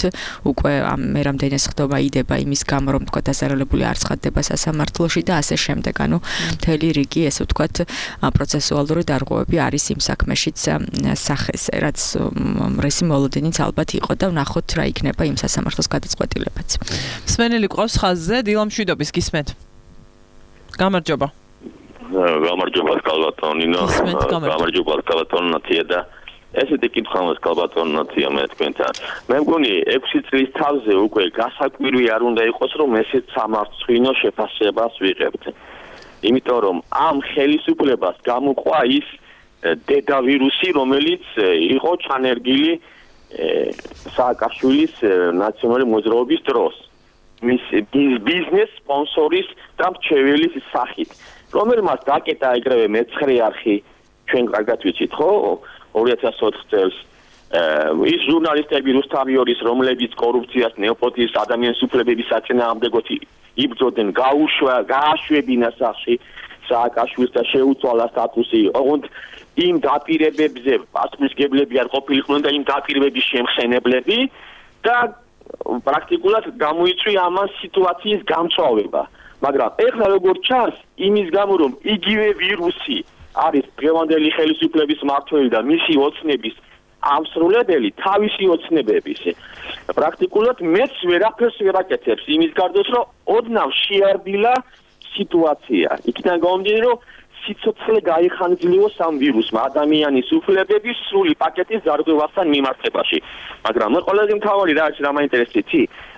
უკვე მე რამდენიც ხდომა იდება იმის გამო რომ თქვა დასარალებული არ ცხადდება სასამართლოში და ასე შემდეგ ანუ მთელი რიგი ესე ვთქვათ პროცესუალური დარღვევები არის იმ საქმეშიც სახეს რაც რესი მოლოდინიც ალბათ იყო და ვნახოთ რა იქნება იმ სასამართლოს გადაწყვეტილება. სმენელი ყავს ხაზზე, დილამშვიდობის გისმენთ. გამარჯობა. გამარჯობა კალბატონინო. გამარჯობა კალბატონინო და ესეთი კითხვა მაქვს კალბატონინო მე თქვენთან. მე მგონი ექვსი წლის თავზე უკვე გასაკვირი არ უნდა იყოს რომ ესეთ სამართლინო შეფასებას ვიღებთ. იმიტომ რომ ამ ხელისუფლებას გამოყვა ის დედა ვირუსი რომელიც იყო ჩანერგილი სააკაშვილის ნაციონალური მოძრაობის დროს მის ბიზნეს სპონსორის და მრჩეველის სახით რომელმაც დაკეტა ეგრევე მეცხრე არხი ჩვენ კარგად ვიცით ხო ორი ათას ოთხ წელს ის ჟურნალისტები რუსთავიორის რომლებიც კორუფციას ნეოპოტიზმს ადამიანის უფლებების საწინააღმდეგოდ იბრძოდნენ გაუშვა გააშვებინა სახში სააკაშვილს და შეუცვალა სტატუსი ოღონდ იმ დაპირებებზე პასუხისმგებლები არ ყოფილიყვნენ და იმ დაპირებების შემხსენებლები და პრაქტიკულად გამოიწვია ამას სიტუაციის გამწვავება. მაგრამ ეხლა როგორც ჩანს, იმის გამო რომ იგივე ვირუსი არის დღევანდელი ხელისუფლების მმართველი და მისი ოცნების ამსრულებელი თავისი ოცნებების პრაქტიკულად მეც ვერაფერს ვერ აკეთებს იმის გარდა რომ ოდნავ შეარბილა სიტუაცია. იქიდან გამომდინარე რომ სიცოცხლე გაიხანძლიოს ამ ვირუსმა ადამიანის უფლებების სრული პაკეტის დარღვევასთან მიმართებაში. მაგრამ მე ყველაზე მთავარი რა არის რა მაინტერესებს?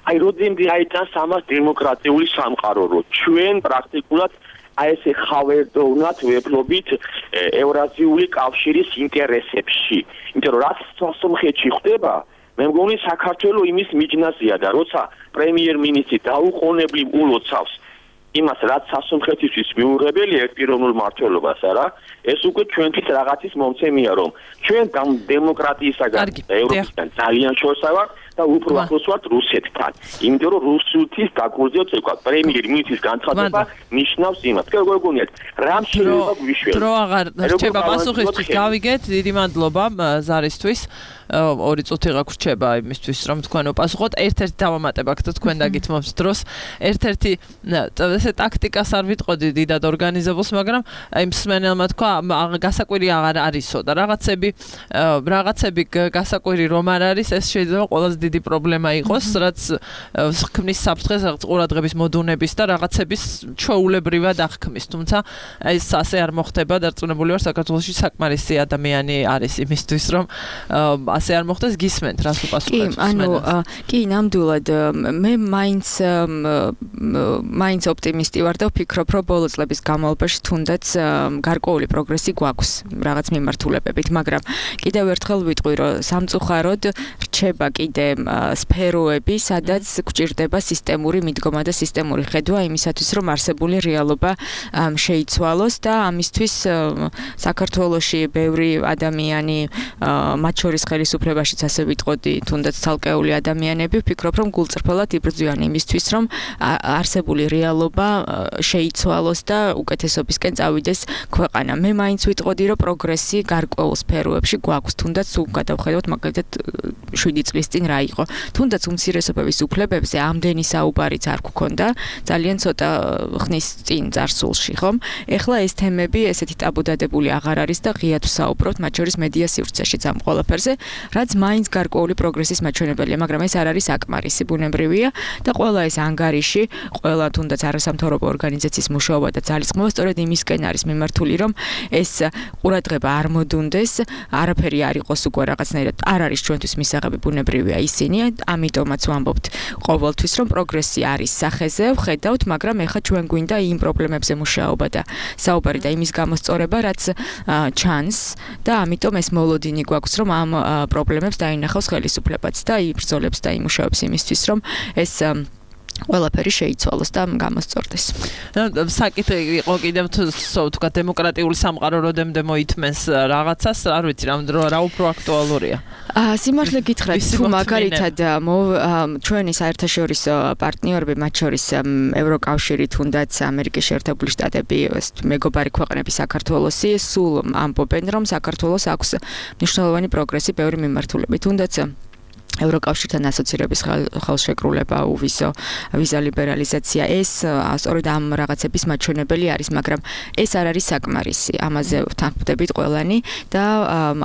აი როდემდე აიტანს ამას დემოკრატიული სამყარო, რომ ჩვენ პრაქტიკულად აი ესე ხავერდოვნად ვეფლობით ევრაზიული კავშირის ინტერესებში. იმიტომ რომ რაც სასამართლოში ხდება, მე მგონი საქართველოს იმის მიჯნაზია და როცა პრემიერ-მინისტრი დაუყოვნებლივ ულოცავს იმას რაც სასამართლისთვის მიუღებელია პიროვნულ მმართველობას არა ეს უკვე ჩვენთვის რაღაცის მომცემია რომ ჩვენ დემოკრატიისაგან ევროპისგან ძალიან შორსა ვართ და უფრო ახლოს ვართ რუსეთთან იმიტომ რომ რუსეთის დაკურზიოთ ეკვა პრემიერ-მინისტრის განცხადება ნიშნავს იმას როგორ გონიათ რამ შეიძლება გვიშვიოთ დრო აღარ რჩება პასუხისთვის გავიგეთ დიდი მადლობა ზარისთვის ორი წუთი გაგვრჩება იმისთვის რომ თქვენ უპასუხოთ ერთ-ერთი დავამატება გქონდა თქვენ დაგითმობთ დროს ერთ-ერთი ესე ტაქტიკას არ ვიტყოდი დიდად ორგანიზებულს მაგრამ აი მსმენელმა თქვა გასაკვირი აღარ არისო და რაღაცები რაღაცები გასაკვირი რომ არ არის ეს შეიძლება ყველაზე დიდი პრობლემა იყოს რაც ხქმის საფრთხეს რაღაც ყურადღების მოდუნების და რაღაცების ჩვეულებრივად აღქმის თუმცა ეს ასე არ მოხდება დარწმუნებული ვარ საქართველოში საკმარისი ადამიანი არის იმისთვის რომ ასე არ მოხდეს გისმენთ რას უპასუხებთ? კი, ანუ კი, ნამდვილად მე მაინც მაინც ოპტიმისტი ვარ და ვფიქრობ, რომ ბოლო წლების განმავლობაში თუნდაც გარკვეული პროგრესი გვაქვს რაღაც მიმართულებებით, მაგრამ კიდევ ერთხელ ვიტყვი, რომ სამწუხაროდ რჩება კიდე სფეროები, სადაც გვჭირდება სისტემური მიდგომა და სისტემური ხედვა იმისათვის, რომ არსებული რეალობა შეიცვალოს და ამისთვის საქართველოში ბევრი ადამიანი, მათ შორის ხელისუფლებაშიც ასე ვიტყოდი, თუნდაც ცალკეული ადამიანები, ვფიქრობ, რომ გულწრფელად იბრძვიან იმისთვის, რომ არსებული რეალობა შეიცვალოს და უკეთესობისკენ წავიდეს ქვეყანა. მე მაინც ვიტყოდი, რომ პროგრესი გარკვეულ სფეროებში გვაქვს, თუნდაც თუ გადავხედოთ მაგალითად შვიდი წლის წინ რა იყო. თუნდაც უმცირესობების უფლებებზე ამდენი საუბარიც არ გქონდა, ძალიან ცოტა ხნის წინ წარსულში, ხომ? ეხლა ეს თემები ესეთი ტაბუდადებული აღარ არის და ღიად ვსაუბრობთ, მათ შორის მედია სივრცეშიც ამ ყველაფერზე, რაც მაინც გარკვეული პროგრესის მაჩვენებელია, მაგრამ ეს არ არის საკმარისი, ბუნებრივია და ყველა ეს ანგარიში, ყველა თუნდაც არასამთავრობო ორგანიზაციის მუშაობა და ძალისხმევა სწორედ იმისკენ არის მიმართული, რომ ეს ყურადღება არ მოდუნდეს, არაფერი არ იყოს უკვე რაღაცნაირად არ არის ჩვენთვის მისაღები, ბუნებრივია ისინი, ამიტომაც ვამბობთ ყოველთვის, რომ პროგრესი არის სახეზე, ვხედავთ, მაგრამ ეხლა ჩვენ გვინდა იმ პრობლემებზე მუშაობა და საუბარი და იმის გამოსწორება, რაც ჩანს და ამიტომ ეს მოლოდინი გვაქვს, რომ ამ პრობლემებს დაინახავს ხელისუფლებაც და იბრძოლებს და იმუშავებს იმისთვის, რომ ეს ყველაფერი შეიცვალოს და გამოსწორდეს. საკითხი იყო კიდევ თქვა დემოკრატიული სამყარო როდემდე მოითმენს რაღაცას, არ ვიცი რა უფრო აქტუალურია. სიმართლე გითხრათ, თუ მაგალითად ჩვენი საერთაშორისო პარტნიორები, მათ შორის ევროკავშირი, თუნდაც ამერიკის შეერთებული შტატები, მეგობარი ქვეყნები საქართველოსი, სულ ამბობენ, რომ საქართველოს აქვს მნიშვნელოვანი პროგრესი ბევრი მიმართულებით, თუნდაც ევროკავშირთან ასოცირების ხელშეკრულება, უვისო ვიზა ლიბერალიზაცია, ეს სწორედ ამ რაღაცების მაჩვენებელი არის, მაგრამ ეს არ არის საკმარისი. ამაზე ვთანხმდებით ყველანი და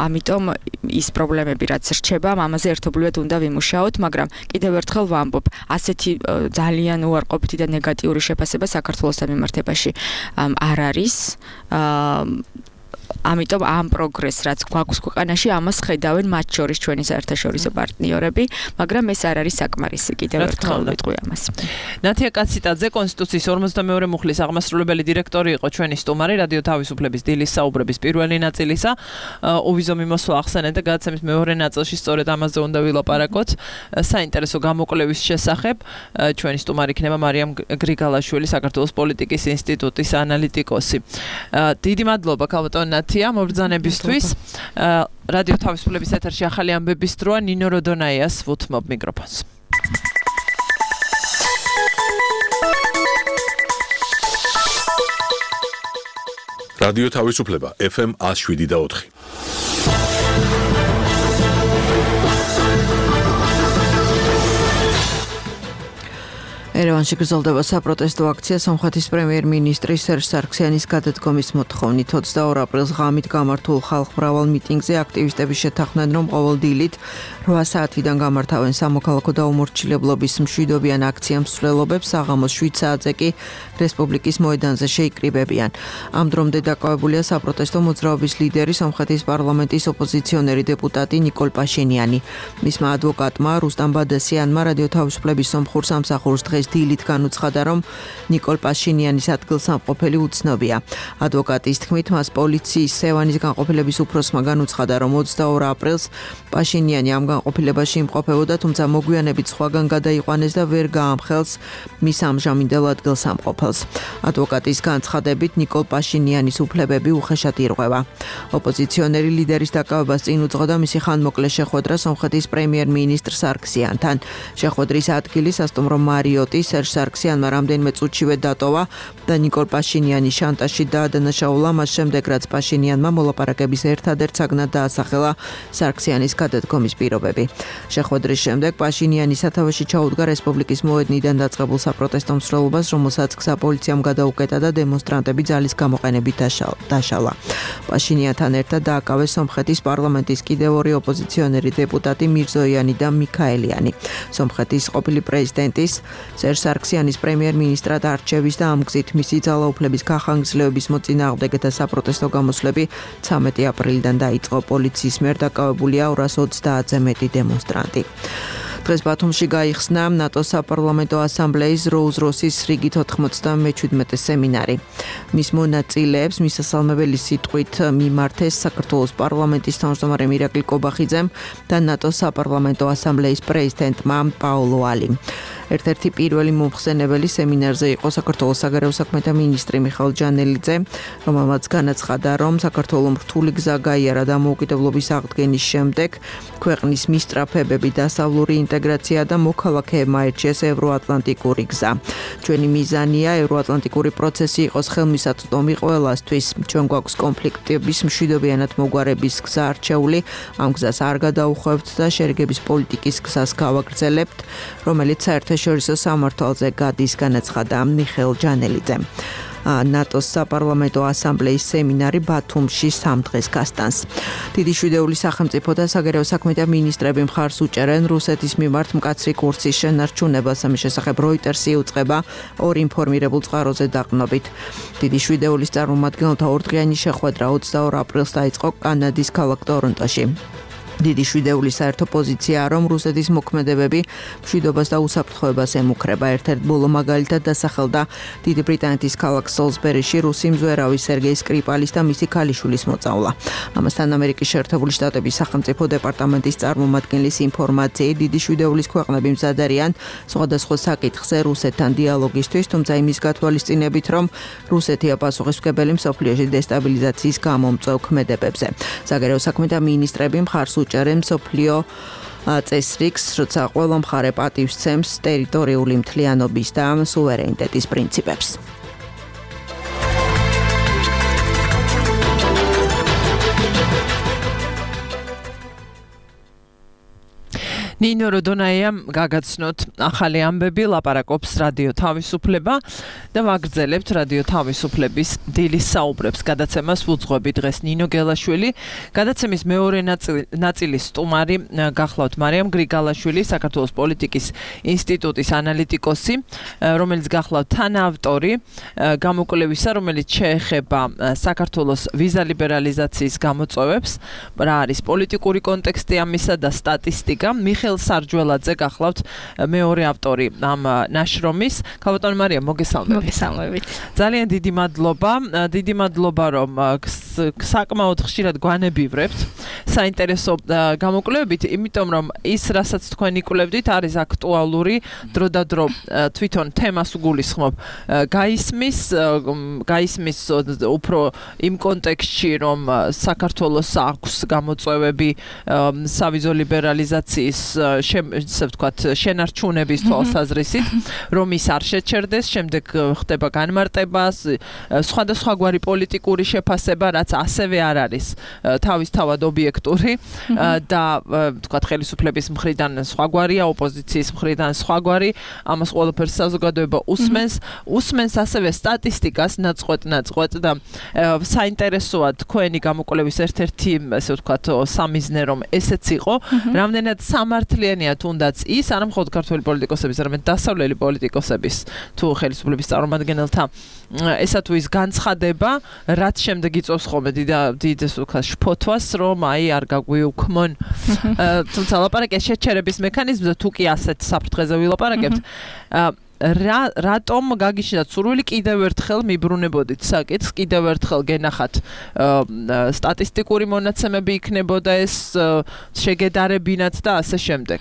ამიტომ ის პრობლემები, რაც რჩება, ამაზე ერთობლივად უნდა ვიმუშაოთ, მაგრამ კიდევ ერთხელ ვამბობ, ასეთი ძალიან უარყოფითი და ნეგატიური შეფასება საქართველოსთან მიმართებაში არ არის. ამიტომ ამ პროგრესს, რაც გვაქვს ქვეყანაში, ამას ხედავენ მათ შორის ჩვენი საერთაშორისო პარტნიორები, მაგრამ ეს არ არის საკმარისი, კიდევ ერთხელ ვიტყვი ამას. ნათია კაციტაძე, კონსტიტუციის ორმოცდამეორე მუხლის აღმასრულებელი დირექტორი იყო ჩვენი სტუმარი, რადიო თავისუფლების დილის საუბრების პირველი ნაწილისა. უვიზო მიმოსვლა ახსენეთ და გადაცემის მეორე ნაწილში სწორედ ამაზე უნდა ვილაპარაკოთ. საინტერესო გამოკვლევის შესახებ ჩვენი სტუმარი იქნება მარიამ გრიგალაშვილი, საქართველოს პოლიტიკის ინსტიტუტის ანალიტიკოსი. დიდი მადლობა ქალბატონ ნათია მობრძანებისთვის. რადიო თავისუფლების ეთერში ახალი ამბების დროა, ნინო როდონაიას ვუთმობ მიკროფონს. რადიო თავისუფლება ეფ ემ one oh seven და four. ერევანში გრძელდება საპროტესტო აქცია სომხეთის პრემიერ-მინისტრის სერჟ სარქსიანის გადადგომის მოთხოვნით. ოცდაორ აპრილს ღამით გამართულ ხალხმრავალ მიტინგზე აქტივისტები შეთანხმდნენ, რომ ყოველ დილით რვა საათიდან გამართავენ სამოქალაქო დაუმორჩილებლობის მშვიდობიან აქცია მსვლელობებს, საღამოს შვიდ საათზე კი რესპუბლიკის მოედანზე შეიკრიბებიან. ამ დრომდე დაკავებულია საპროტესტო მოძრაობის ლიდერი, სომხეთის პარლამენტის ოპოზიციონერი დეპუტატი ნიკოლ პაშინიანი. მისმა ადვოკატმა რუსტამ ბადასიანმა რადიო თავისუფლების სომხურ სამსახურს დღეს დილით განუცხადა, რომ ნიკოლ პაშინიანის ადგილსამყოფელი უცნობია. ადვოკატის თქმით, მას პოლიციის სევანის განყოფილების უფროსმა განუცხადა, რომ ოცდაორ აპრილს პაშინიანი ამ განყოფილებაში იმყოფებოდა, თუმცა მოგვიანებით სხვაგან გადაიყვანეს და ვერ გაამხელს მის ამჟამინდელ ადგილსამყოფელს. ადვოკატის განცხადებით, ნიკოლ პაშინიანის უფლებები უხეშად ირღვევა. ოპოზიციონერი ლიდერის დაკავებას წინ უძღოდა მისი ხანმოკლე შეხვედრა სომხეთის პრემიერ-მინისტრ სარქსიანთან. შეხვედრის ადგილი სასტუმრო მარიოტი სერჟ სარქსიანმა რამდენიმე წუთშივე დატოვა და ნიკოლ პაშინიანის შანტაჟში დაადანაშაულა, მას შემდეგ რაც პაშინიანმა მოლაპარაკების ერთადერთ საგნად დაასახელა სარქსიანის გადადგომის პირობები. შეხვედრის შემდეგ პაშინიანი სათავეში ჩაუდგა რესპუბლიკის მოედნიდან დაწყებულ საპროტესტო მსვლელობას, რომელსაც გზა პოლიციამ გადაუკეტა და დემონსტრანტები ძალის გამოყენებით დაშალა. პაშინიანთან ერთად დააკავეს სომხეთის პარლამენტის კიდევ ორი ოპოზიციონერი დეპუტატი მირზოიანი და მიქაელიანი. სომხეთის ყოფილი პრეზიდენტის სერჟ სარქსიანის პრემიერ-მინისტრად არჩევის და ამ გზით მისი ძალაუფლების გახანგრძლივების მოწინააღმდეგე და საპროტესტო გამოსვლები ცამეტი აპრილიდან დაიწყო. პოლიციის მიერ დაკავებულია ორას ოცდაათზე მეტი დემონსტრანტი. დღეს ბათუმში გაიხსნა ნატოს საპარლამენტო ასამბლეის როუზ-როსის რიგით ოთხმოცდამეჩვიდმეტე სემინარი. მის მონაწილეებს მისასალმებელი სიტყვით მიმართეს საქართველოს პარლამენტის თავმჯდომარე მირაკლი კობახიძემ და ნატოს საპარლამენტო ასამბლეის პრეზიდენტმა პაოლო ალიმ. ერთ-ერთი პირველი მომხსენებელი სემინარზე იყო საქართველოს საგარეო საქმეთა მინისტრი მიხეილ ჯანელიძე, რომელმაც განაცხადა, რომ საქართველოს რთული გზა გაიარა დამოუკიდებლობის აღდგენის შემდეგ, ქვეყნის მისწრაფებები დასავლური ინტეგრაცია და მოქალაქეებმა აირჩიეს ევროატლანტიკური გზა. ჩვენი მიზანია ევროატლანტიკური პროცესი იყოს ხელმისაწვდომი ყველასთვის. ჩვენ გვაქვს კონფლიქტების მშვიდობიანად მოგვარების გზა არჩეული, ამ გზას არ გადაუხვევთ და შერიგების პოლიტიკის გზას გავაგრძელებთ, რომელიც საერთაშორისო სამართალზე გადის, განაცხადა მიხეილ ჯანელიძემ. ნატოს საპარლამენტო ასამბლეის სემინარი ბათუმში სამ დღეს გასტანს. დიდი შვიდეული სახელმწიფო და საგარეო საქმეთა მინისტრები მხარს უჭერენ რუსეთის მიმართ მკაცრი კურსის შენარჩუნებას. ამის შესახებ როიტერსი იუწყება ორ ინფორმირებულ წყაროზე დაყრდნობით. დიდი შვიდეულის წარმომადგენელთა ორდღიანი შეხვედრა ოცდაორ აპრილს დაიწყო კანადის ქალაქ ტორონტოში. დიდი შვიდეულის საერთო პოზიციაა, რომ რუსეთის მოქმედებები მშვიდობას და უსაფრთხოებას ემუქრება. ერთ-ერთ ბოლო მაგალითად დასახელდა დიდი ბრიტანეთის ქალაქ სოლსბერიში რუსი მზვერავი სერგეი სკრიპალის და მისი ქალიშვილის მოწავლა. ამასთან ამერიკის შეერთებული შტატების სახელმწიფო დეპარტამენტის წარმომადგენლის ინფორმაციით დიდი შვიდეულის ქვეყნები მზად არიან სხვადასხვა საკითხზე რუსეთთან დიალოგისთვის, თუმცა იმის გათვალისწინებით, რომ რუსეთია პასუხისმგებელი მსოფლიოში დესტაბილიზაციის გამომწვევ ქმედებებზე. საგარეო საქმეთა მინისტრები მხარს უჭერენ მსოფლიო წესრიგს, როცა ყველა მხარე პატივს სცემს ტერიტორიული მთლიანობის და სუვერენიტეტის პრინციპებს. ნინო როდონაიამ გაგაცნოთ ახალი ამბები, ლაპარაკობს რადიო თავისუფლება და ვაგრძელებთ რადიო თავისუფლების დილის საუბრებს. გადაცემას ვუძღვები დღეს ნინო გელაშვილი, გადაცემის მეორე ნაწილის სტუმარი გახლავთ მარიამ გრიგალაშვილი, საქართველოს პოლიტიკის ინსტიტუტის ანალიტიკოსი, რომელიც გახლავთ თანაავტორი გამოკვლევისა, რომელიც შეეხება საქართველოს ვიზა ლიბერალიზაციის გამოწვევებს, რა არის პოლიტიკური კონტექსტი ამისა და სტატისტიკა. მიხეილ სარჯველაძე გახლავთ მეორე ავტორი ამ ნაშრომის. ქალბატონო მარიამ, მოგესალმებით. მოგესალმებით. ძალიან დიდი მადლობა, დიდი მადლობა, რომ საკმაოდ ხშირად გვანებივრებთ საინტერესო გამოკვლევებით, იმიტომ რომ ის, რასაც თქვენ იკვლევდით, არის აქტუალური, დრო და დრო თვითონ თემას უგულისხმობ. გაისმის, გაისმის უფრო იმ კონტექსტში, რომ საქართველოს აქვს გამოწვევები სავიზო ლიბერალიზაციის ესე ვთქვათ, შენარჩუნების თვალსაზრისით, რომ ის არ შეჩერდეს, შემდეგ ხდება განმარტება, სხვადასხვაგვარი პოლიტიკური შეფასება, რაც ასევე არ არის თავისთავად ობიექტური და ვთქვათ, ხელისუფლების მხრიდან სხვაგვარია, ოპოზიციის მხრიდან სხვაგვარი, ამას ყველაფერს საზოგადოება უსმენს, უსმენს ასევე სტატისტიკას ნაწყვეტ-ნაწყვეტ და საინტერესოა თქვენი გამოკვლევის ერთ-ერთი, ესე ვთქვათ, სამიზნე, რომ ესეც იყო, რამდენად სამართლიანია თუნდაც ის, არა მხოლოდ ქართველი პოლიტიკოსების, არამედ დასავლელი პოლიტიკოსების თუ ხელისუფლების წარმომადგენელთა ესა თუ ის განცხადება, რაც შემდეგ იწვევს ხოლმე დიდ შფოთვას, რომ აი არ გაგვიუქმონ. თუმცა ლაპარაკია შეჩერების მექანიზმზე, თუ კი ასეთ საფრთხეზე ვილაპარაკებთ, რა რატომ გაგიჩნდათ სურვილი კიდევ ერთხელ მიბრუნებოდით საკითხს, კიდევ ერთხელ გენახათ სტატისტიკური მონაცემები იქნებოდა ეს შეგედარებინათ და ასე შემდეგ.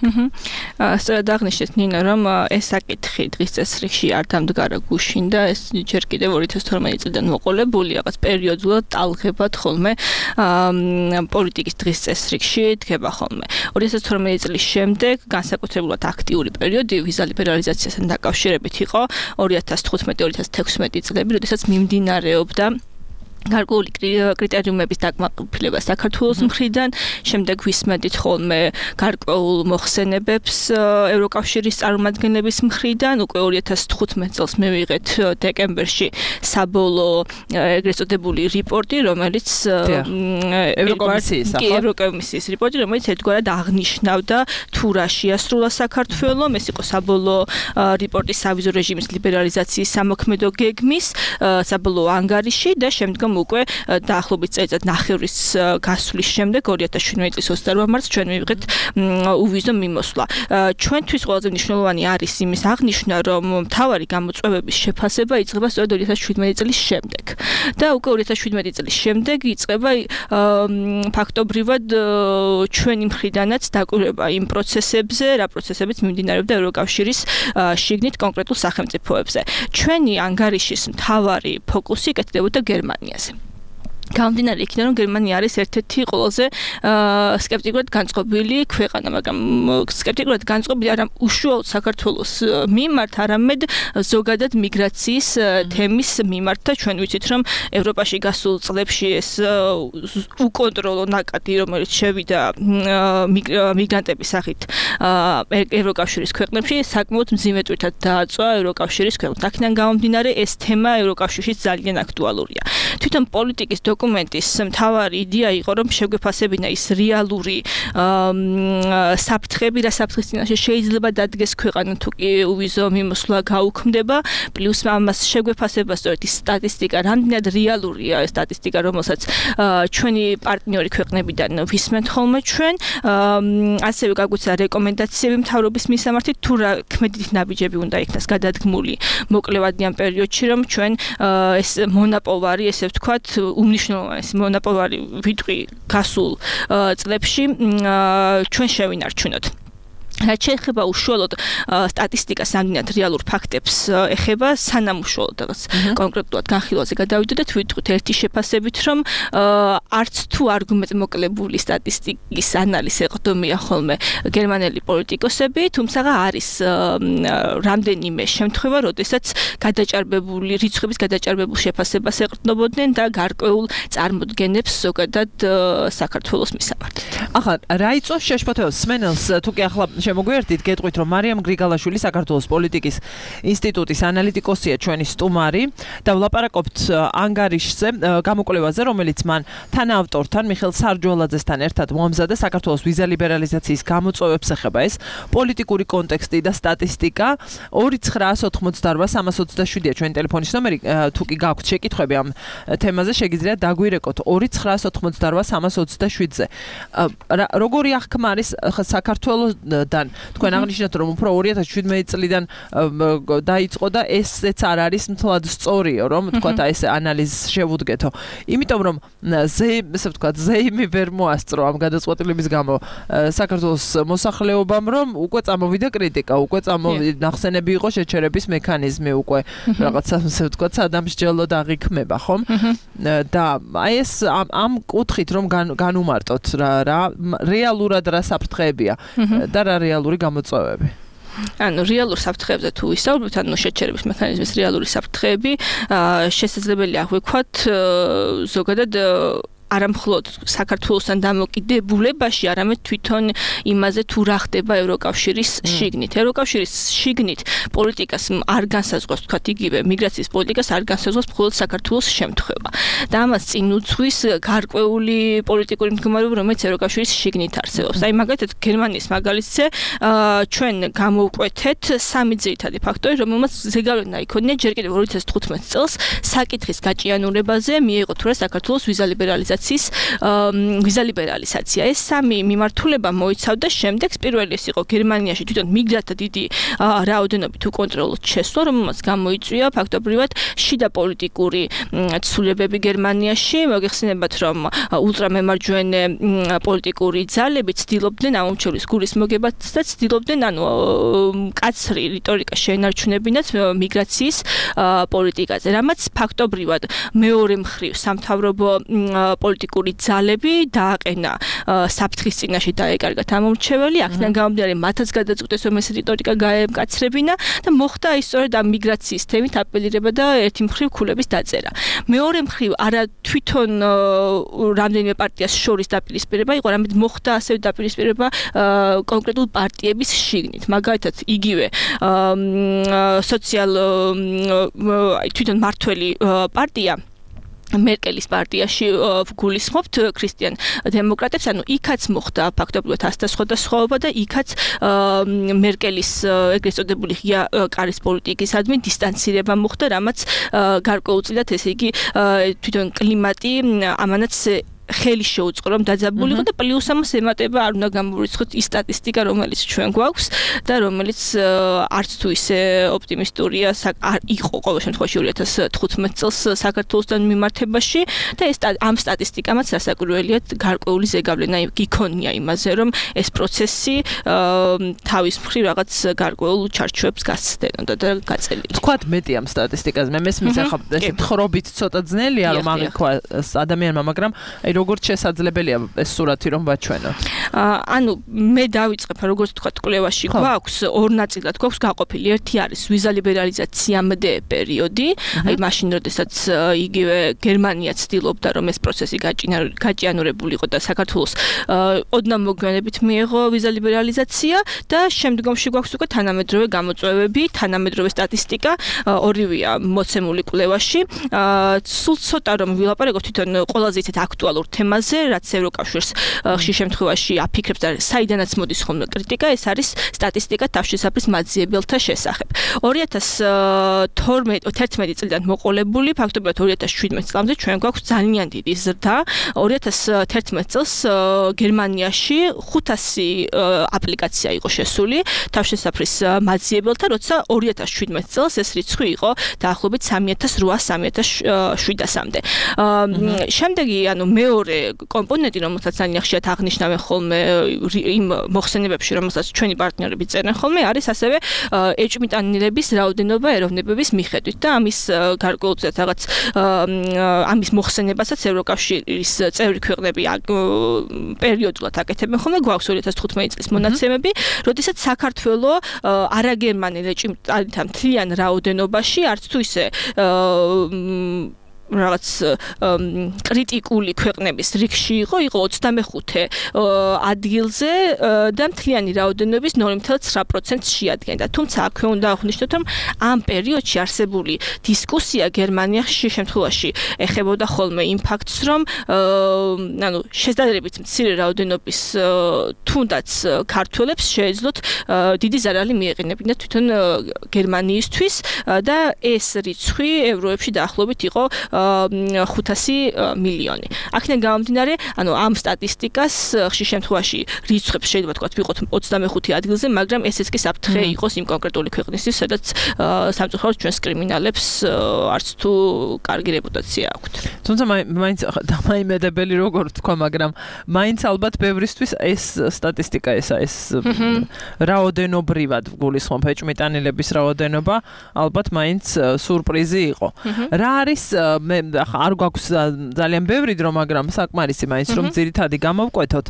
სწორად აღნიშნეთ ნინო, რომ ეს საკითხი დღის წესრიგში არ დამდგარა გუშინ და ეს ჯერ კიდევ ორი ათას თორმეტი წლიდან მოყოლებული, რაღაც პერიოდულად ტალღებად ხოლმე პოლიტიკის დღის წესრიგში დგება ხოლმე. ორი ათას თორმეტი წლის შემდეგ განსაკუთრებულად აქტიური პერიოდი ვიზა ლიბერალიზაციასთან დაკავშირებით იყო ორი ათას თხუთმეტი ორი ათას თექვსმეტი წლები, როდესაც მიმდინარეობდა გარკვეული კრიტერიუმების დაკმაყოფილება საქართველოს მხრიდან, შემდეგ ვისმენთ ხოლმე გარკვეულ მოხსენებებს ევროკავშირის წარმომადგენლების მხრიდან, უკვე ორი ათას თხუთმეტ წელს მივიღეთ დეკემბერში საბოლოო ეგრეთ წოდებული რიპორტი, რომელიც ევროკომისიის ევროკომისიის რიპორტი, რომელიც ერთგვარად აღნიშნავდა თუ რა შეასრულა საქართველო, ეს იყო საბოლოო რიპორტი სავიზო რეჟიმის ლიბერალიზაციის სამოქმედო გეგმის საბოლოო ანგარიში და შემდგომ უკვე დაახლოებით წელიწად ნახევრის გასვლის შემდეგ ორი ათას შვიდმეტი წლის ოცდაოთხ მარტს ჩვენ მივიღეთ უვიზო მიმოსვლა. ჩვენთვის ყველაზე მნიშვნელოვანი არის იმის აღნიშვნა, რომ მთავარი გამოწვევების შეფასება იწყება სწორედ ორი ათას შვიდმეტი წლის შემდეგ. და უკვე ორი ათას შვიდმეტი წლის შემდეგ იწყება ფაქტობრივად ჩვენი მხრიდანაც დაკვირვება იმ პროცესებზე, რა პროცესებიც მიმდინარეობდა ევროკავშირის შიგნით კონკრეტულ სახელმწიფოებზე. ჩვენი ანგარიშის მთავარი ფოკუსი იკეთდებოდა გერმანიაზე. გამომდინარე იქიდან, რომ გერმანია არის ერთ-ერთი ყველაზე სკეპტიკურად განწყობილი ქვეყანა, მაგრამ სკეპტიკურად განწყობილი არა უშუალოდ საქართველოს მიმართ, არამედ ზოგადად მიგრაციის თემის მიმართ და ჩვენ ვიცით, რომ ევროპაში გასულ წლებში ეს უკონტროლო ნაკადი, რომელიც შევიდა მიგრანტების სახით ევროკავშირის ქვეყნებში, საკმაოდ მძიმე ტვირთად დააწვა ევროკავშირის ქვეყნებს. აქედან გამომდინარე, ეს თემა ევროკავშირში ძალიან აქტუალურია. თვითონ პოლიტიკის დოკუმენტის მთავარი იდეა იყო, რომ შეგვეფასებინა ის რეალური საფრთხები, რა საფრთხის წინაშე შეიძლება დადგეს ქვეყანა თუ კი უვიზო მიმოსვლა გაუქმდება, პლუს ამას შეგვეფასება სწორედ ის სტატისტიკა, რამდენად რეალურია ეს სტატისტიკა, რომელსაც ჩვენი პარტნიორი ქვეყნებიდან ვისმენთ ხოლმე ჩვენ, ასევე გაგვეცა რეკომენდაციები მთავრობის მისამართით, თუ რა ქმედით ნაბიჯები უნდა იქნას გადადგმული მოკლევადიან პერიოდში, რომ ჩვენ ეს მონოპოლარი, ესე ვთქვათ, უმნიშვნელოვანესი მონოპოლარი ვიტყვი გასულ წლებში ჩვენ შევინარჩუნოთ. რაც შეეხება უშუალოდ სტატისტიკას, ამდენად რეალურ ფაქტებს ეხება, სანამ უშუალოდ რაღაც კონკრეტულად განხილვაზე გადავიდოდეთ, ვიტყვით ერთი შეფასებით, რომ არც თუ არგუმენტმოკლებული სტატისტიკის ანალიზს ეყრდნობიან ხოლმე გერმანელი პოლიტიკოსები, თუმცა არის რამდენიმე შემთხვევა, როდესაც გადაჭარბებული რიცხვების გადაჭარბებულ შეფასებას ეყრდნობოდნენ და გარკვეულ წარმოდგენებს ზოგადად საქართველოს მისამართით. ახლა რა იწვევს შეშფოთებებს სმენელს, თუ კი ახლა შემოგვიერთდით, გეტყვით, რომ მარიამ გრიგალაშვილი საქართველოს პოლიტიკის ინსტიტუტის ანალიტიკოსია ჩვენი სტუმარი და ვლაპარაკობთ ანგარიშზე, გამოკვლევაზე, რომელიც მან თანაავტორთან მიხეილ სარჯვალაძესთან ერთად მოამზადა საქართველოს ვიზა ლიბერალიზაციის გამოწვევებს ეხება ეს პოლიტიკური კონტექსტი და სტატისტიკა. ორი ცხრაას ოთხმოცდაოთხ სამას ოცდაშვიდია ჩვენი ტელეფონის ნომერი, თუ კი გაქვთ შეკითხვები ამ თემაზე, შეგიძლიათ დაგვირეკოთ ორი ცხრაას ოთხმოცდაოთხ სამას ოცდაშვიდზე. როგორი აღქმა არის საქართველოსთან? თქვენ აღნიშნეთ, რომ უფრო ორი ათას შვიდმეტი წლიდან დაიწყო და ესეც არ არის მთლად სწორიო, რომ თქვათ ეს ანალიზს შევუდგეთო. იმიტომ რომ ესე ვთქვათ, ზეიმი ვერ მოასწრო ამ გადაწყვეტილების გამო საქართველოს მოსახლეობამ, რომ უკვე წამოვიდა კრიტიკა, უკვე წამოვიდა ნახსენები იყო შეჩერების მექანიზმი, უკვე რაღაცა ესე ვთქვათ, სადამსჯელო დაღიქმება, ხომ? და აი ეს ამ კუთხით რომ განუმარტოთ რა რა რეალურად რა საფრთხეებია და რა რეალური გამოწვევები. ანუ რეალურ საფრთხეებზე თუ ვისაუბრებთ, ანუ შეჩერების მექანიზმის რეალური საფრთხეები, შესაძლებელია აღვიქვათ ზოგადად არა მხოლოდ საქართველოსთან დამოკიდებულებაში, არამედ თვითონ იმაზე თუ რა ხდება ევროკავშირის შიგნით. ევროკავშირის შიგნით პოლიტიკას არ განსაზღვრავს, თქვათ, იგივე მიგრაციის პოლიტიკას არ განსაზღვრავს მხოლოდ საქართველოს შემთხვევა. და ამას წინ უძღვის გარკვეული პოლიტიკური მდგომარეობა, რომელიც ევროკავშირის შიგნით არსებობს. აი მაგალითად გერმანიის მაგალითზე ჩვენ გამოვკვეთეთ სამი ძირითადი ფაქტორი, რომელმაც ზეგავლენა იქონია ჯერ კიდევ ორი ათას თხუთმეტ წელს საკითხის გაჭიანურებაზე მიიღო თუ რა საქართველოს ვიზა ლიბერალიზაცია ვიზა ლიბერალიზაცია. ეს სამი მიმართულება მოიცავდა შემდეგ, პირველი ეს იყო გერმანიაში თვითონ მიგრანტთა დიდი რაოდენობით უკონტროლოდ შესვლა, რომელმაც გამოიწვია ფაქტობრივად შიდა პოლიტიკური ცვლილებები გერმანიაში. მოგეხსენებათ, რომ ულტრამემარჯვენე პოლიტიკური ძალები ცდილობდნენ ამომრჩევლის გულის მოგებას და ცდილობდნენ ანუ მკაცრი რიტორიკა შეენარჩუნებინათ მიგრაციის პოლიტიკაზე, რამაც ფაქტობრივად მეორე მხრივ სამთავრობო პოლიტიკური ძალები დააყენა საფრთხის წინაშე დაეკარგათ ამორჩეველი, აქედან გამომდინარე მათაც გადაწყვიტეს რომ ეს რიტორიკა გაემკაცრებინა და მოხდა ის სწორედ ამ მიგრაციის თემით აპელირება და ერთი მხრივ ქულების დაწერა. მეორე მხრივ არა თვითონ რამდენიმე პარტიას შორის დაპირისპირება იყო, არამედ მოხდა ასევე დაპირისპირება კონკრეტულ პარტიების შიგნით. მაგალითად, იგივე სოციალ თვითონ მართველი პარტია მერკელის პარტიაში გულისხმობთ ქრისტიან დემოკრატებს, ანუ იქაც მოხდა ფაქტობრივად ასთა სხვადასხვაობა და იქაც მერკელის ეგრეთ წოდებული ღია კარის პოლიტიკისადმი დისტანცირება მოხდა, რამაც გარკვეულწილად ესე იგი თვითონ კლიმატი ამანაც ხელი შეუწყო რომ დაძაბულიყო და პლუს ამას ემატება არ უნდა გამოვიწყოთ ის სტატისტიკა რომელიც ჩვენ გვაქვს და რომელიც არც თუ ისე ოპტიმისტურია იყო ყოველ შემთხვევაში ორი ათას თხუთმეტ წელს საქართველოსთან მიმართებაში და ეს ამ სტატისტიკამაც რასაკვირველია გარკვეული ზეგავლენა გიქონია იმაზე რომ ეს პროცესი თავის მხრივ რაღაც გარკვეულ ჩარჩოებს გასცდენოდა და გაწელილი. თქვათ მეტი ამ სტატისტიკაზე მე მესმის ახლა ეს თხრობით ცოტა ძნელია რომ აღიქვა ადამიანმა მაგრამ როგორც შესაძლებელია ეს სურათი რომ ვაჩვენოთ. ანუ მე დავიწყებ როგორც თქვა კვლევაში გვაქვს ორ ნაწილად გვაქვს გაყოფილი. ერთი არის ვიზა ლიბერალიზაციამდე პერიოდი, აი მაშინ როდესაც იგივე გერმანია ცდილობდა რომ ეს პროცესი გაჭიანურებულიყო და საქართველოს ოდნავ მოგვიანებით მიიღო ვიზა ლიბერალიზაცია და შემდგომში გვაქვს უკვე თანამედროვე გამოწვევები, თანამედროვე სტატისტიკა, ორივეა მოცემული კვლევაში. სულ ცოტა რომ ვილაპარაკოთ თვითონ ყველაზე ისეთ აქტუალურ თემაზე, რაც ევროკავშირს ხშირ შემთხვევაში აფიქრებს და საიდანაც მოდის ხოლმე კრიტიკა, ეს არის სტატისტიკა თავშესაფრის მაძიებელთა შესახებ. ორი ათას თერთმეტი წლიდან მოყოლებული, ფაქტობრივად ორი ათას შვიდმეტ წლამდე ჩვენ გვაქვს ძალიან დიდი ზრდა. ორი ათას თერთმეტ წელს გერმანიაში ხუთასი აპლიკაცია იყო შესული თავშესაფრის მაძიებელთა, როცა ორი ათას შვიდმეტ წელს ეს რიცხვი იყო დაახლოებით სამი ათას რვაას სამი ათას შვიდასამდე. შემდეგი, ანუ მეორე კომპონენტი, რომელსაც ძალიან ხშირად აღნიშნავენ ხოლმე იმ მოხსენებებში, რომელსაც ჩვენი პარტნიორები წერენ ხოლმე, არის ასევე ეჭვმიტანილების რაოდენობა ეროვნებების მიხედვით და ამის გარკვეულწილად რაღაც ამის მოხსენებასაც ევროკავშირის წევრი ქვეყნები პერიოდულად აკეთებენ ხოლმე. გვაქვს ორი ათას თხუთმეტი წლის მონაცემები, როდესაც საქართველო არაგერმანელ ეჭვმიტანილთა მთლიან რაოდენობაში არც თუ ისე რაღაც კრიტიკული ქვეყნების რიგში იყო, იყო ოცდამეხუთე ადგილზე და მთლიანი რაოდენობის ნული ათეული ცხრა პროცენტს შეადგენდა. თუმცა აქვე უნდა აღვნიშნოთ, რომ ამ პერიოდში არსებული დისკუსია გერმანიაში შემთხვევაში ეხებოდა ხოლმე იმ ფაქტს, რომ ანუ შესაძლებლობით მცირე რაოდენობის თუნდაც ქართველებს შეეძლოთ დიდი ზარალი მიეყენებინათ თვითონ გერმანიისთვის და ეს რიცხვი ევროებში დაახლოებით იყო ხუთასი მილიონი. აქედან გამომდინარე, ანუ ამ სტატისტიკას ხშირ შემთხვევაში რიცხვებს შეიძლება თქვა ვიყოთ ოცდამეხუთე ადგილზე, მაგრამ ესეც კი საფრთხე იყოს იმ კონკრეტული ქვეყნისთვის, სადაც სამწუხაროდ ჩვენს კრიმინალებს არც თუ კარგი რეპუტაცია აქვთ. თუმცა მაინც დამაიმედებელი როგორ თქვა, მაგრამ მაინც ალბათ ბევრისთვის ეს სტატისტიკა ესა ეს რაოდენობრივად გულისხმობ ეჭვმიტანილების რაოდენობა ალბათ მაინც სურპრიზი იყო. რა არის მე არ გვაქვს ძალიან ბევრი დრო, მაგრამ საკმარისი მაინც რომ ძირითადი გამოვკვეთოთ.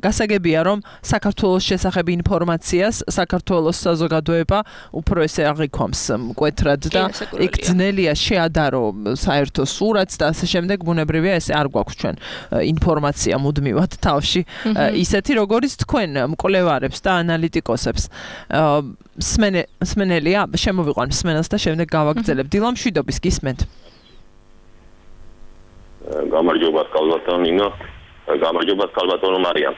გასაგებია რომ საქართველოს შესახებ ინფორმაციას საქართველოს საზოგადოება უფრო ესე აღიქვამს მკვეთრად და იქ ძნელია შეადარო საერთო სურათს და ასე შემდეგ. ბუნებრივია ესე არ გვაქვს ჩვენ ინფორმაცია მუდმივად თავში ისეთი როგორიც თქვენ მკვლევარებს და ანალიტიკოსებს. სმენელია, შემოვიყვან სმენელს და შემდეგ გავაგრძელებ. დილა მშვიდობის გისმენთ. გამარჯობა კალბატონო ნინო, გამარჯობა კალბატონო მარიამ.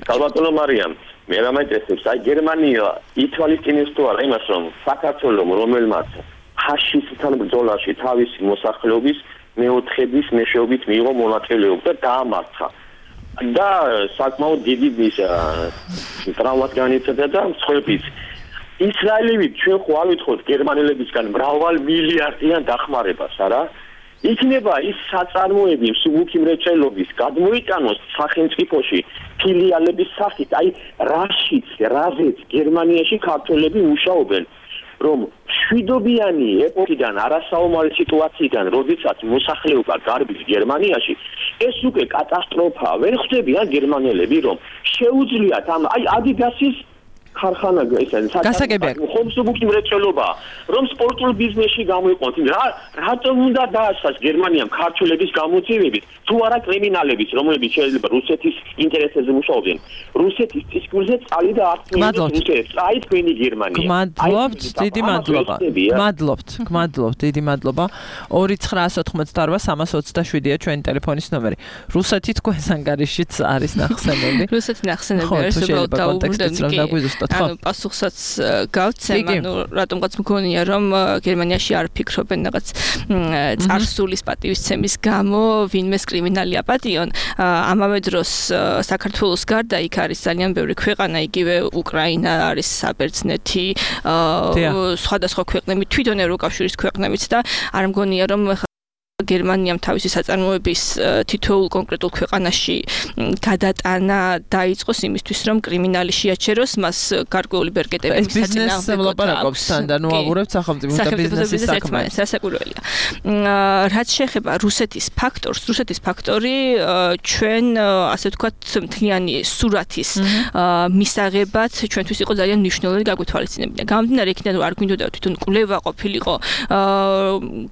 კალბატონო მარიამ, მე რამეთესებს, აი გერმანია ითვალისწინებს თუ არა იმას, რომ საქართველოს რომელმაც ფაშისტთან ბრძოლაში თავისი მოსახლეობის მეოთხედის მეშვეობით მიიღო მონაწილეობა და დაამარცხა. და საკმაოდ დიდი ის ტრავმას განიცადა და მსხვერპლიც. ისრაელივით ჩვენ ხო არ ვითხოვთ გერმანელებისგან მრავალ მილიარდიან დახმარებას, არა? იქნება ის საწარმოები მსუბუქი მრეწველობის გადმოიტანოს სახელმწიფოში ფილიალების სახით, აი რაშიც, რაზეც გერმანიაში ქართველები მუშაობენ. რომ შვიდობიანი ეპოქიდან, არასაომარი სიტუაციიდან, როდესაც მოსახლეობა გარბის გერმანიაში, ეს უკვე კატასტროფაა. ვერ ხვდებიან გერმანელები, რომ შეუძლიათ ამ აი ადიდასის ხარხანა ესენი ხომსუბუქი მრეწველობა რომ სპორტულ ბიზნესში გამოიყოთ რა რატომ უნდა დაასვას გერმანიამ ქართველების გამოძიებით თუ არა კრიმინალების რომლებიც შეიძლება რუსეთის ინტერესებზე მუშაობენ რუსეთის წისქვილზე წალი და აქტიურად რუსეთს აი თქვენი გერმანია გმადლობთ დიდი მადლობა გმადლობთ გმადლობთ დიდი მადლობა ორი ცხრაას ოთხმოცდაოთხ სამას ოცდაშვიდია ჩვენი ტელეფონის ნომერი რუსეთი თქვენს ანგარიშიც არის ნახსენები რუსეთი ნახსენები არის უბრალოდ დაუბრუნდები ანუ პასუხსაც გავცემ ანუ რატომღაც მგონია რომ გერმანიაში არ ფიქრობენ რაღაც წარსულის პატივისცემის გამო ვინმეს კრიმინალი აპატიონ ამავე დროს საქართველოს გარდა იქ არის ძალიან ბევრი ქვეყანა იგივე უკრაინა არის საბერძნეთი სხვადასხვა ქვეყნები თვითონ ევროკავშირის ქვეყნებიც და არ მგონია რომ გერმანიამ თავისი საწარმოების თითოეულ კონკრეტულ ქვეყანაში გადატანა დაიწყოს იმისთვის რომ კრიმინალი შეაჩეროს მას გარკვეული ბერკეტები მისაწინააღმდეგო ლაპარაკობს და ნუ აღურებთ სახელმწიფოს და ბიზნესის საქმე სასაკურველია რაც შეეხება რუსეთის ფაქტორს რუსეთის ფაქტორი ჩვენ ასე ვთქვათ მთლიანი სურათის მისაღებად ჩვენთვის იყო ძალიან მნიშვნელოვანი გაგვეთვალისწინებინა გამომდინარე იქიდან არ გვინდოდა თვითონ კვლევა ყოფილიყო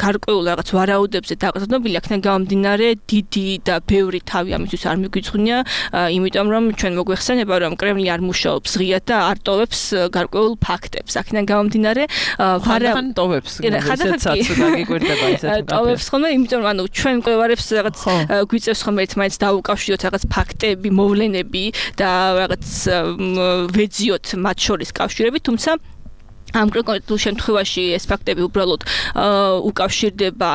გარკვეულ რაღაც ვარაუდებზე დაკრძალული აქედან გამომდინარე დიდი და ბევრი თავი ამისთვის არ მიგვიძღვნია იმიტომ რომ ჩვენ მოგვეხსენება რომ კრემლი არ მუშაობს ღიად და არ ტოვებს გარკვეულ ფაქტებს აქედან გამომდინარე ხან ტოვებს ესეცაც გაგიკვირდება ესეთ ტოვებს ხოლმე იმიტომ რომ ანუ ჩვენ მკვლევარებს რაღაც გვიწევს ხოლმე ერთმანეთს დაუკავშიროთ რაღაც ფაქტები მოვლენები და რაღაც ვეძიოთ მათ შორის კავშირები თუმცა ამ კონკრეტულ შემთხვევაში ეს ფაქტები უბრალოდ უკავშირდება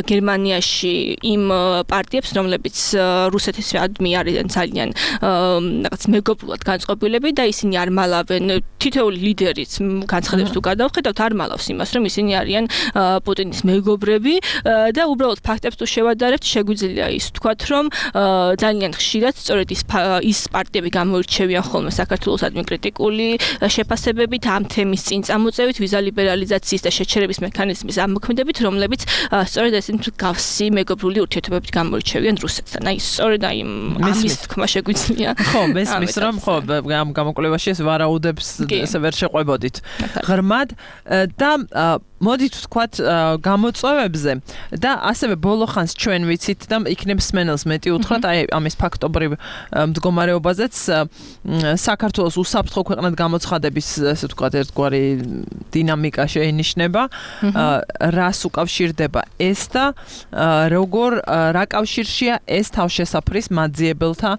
გერმანიაში იმ პარტიებს, რომლებიც რუსეთის მხრიდან არიან ძალიან რაღაც მეგობრულად განწყობილები და ისინი არ მალავენ თითოეული ლიდერიც განცხადებს თუ გადავხედავთ არ მალავს იმას, რომ ისინი არიან პუტინის მეგობრები და უბრალოდ ფაქტებს თუ შევადარებთ, შეგვიძლია ის ვთქვათ, რომ ძალიან ხშირად სწორედ ის ის პარტიები გამოირჩევიან ხოლმე საქართველოსადმი კრიტიკული შეფასებებით ამ თემის წინ წამოწევით ვიზა ლიბერალიზაციის და შეჩერების მექანიზმის ამოქმედებით, რომლებიც სწორედ ეს მსგავსი მეგობრული ურთიერთობებით გამოირჩევიან რუსეთთან. აი, სწორედ აი ამის თქმა შეგვიძლია. ხო, მესმის რომ ხო, ამ გამოკვლევაში ეს ვარაუდებს ესე ვერ შეყვებოდით. ღრმად და მოდით ვთქვათ გამოწვევებზე და ასევე ბოლო ხანს ჩვენ ვიცით და იქნებ სმენელს მეტი უთხრათ აი ამის ფაქტობრივ მდგომარეობაზეც საქართველოს უსაფრთხო ქვეყნად გამოცხადების ესე ვთქვათ ერთგვარი დინამიკა შეინიშნება რას უკავშირდება ეს და როგორ რა კავშირშია ეს თავშესაფრის მაძიებელთა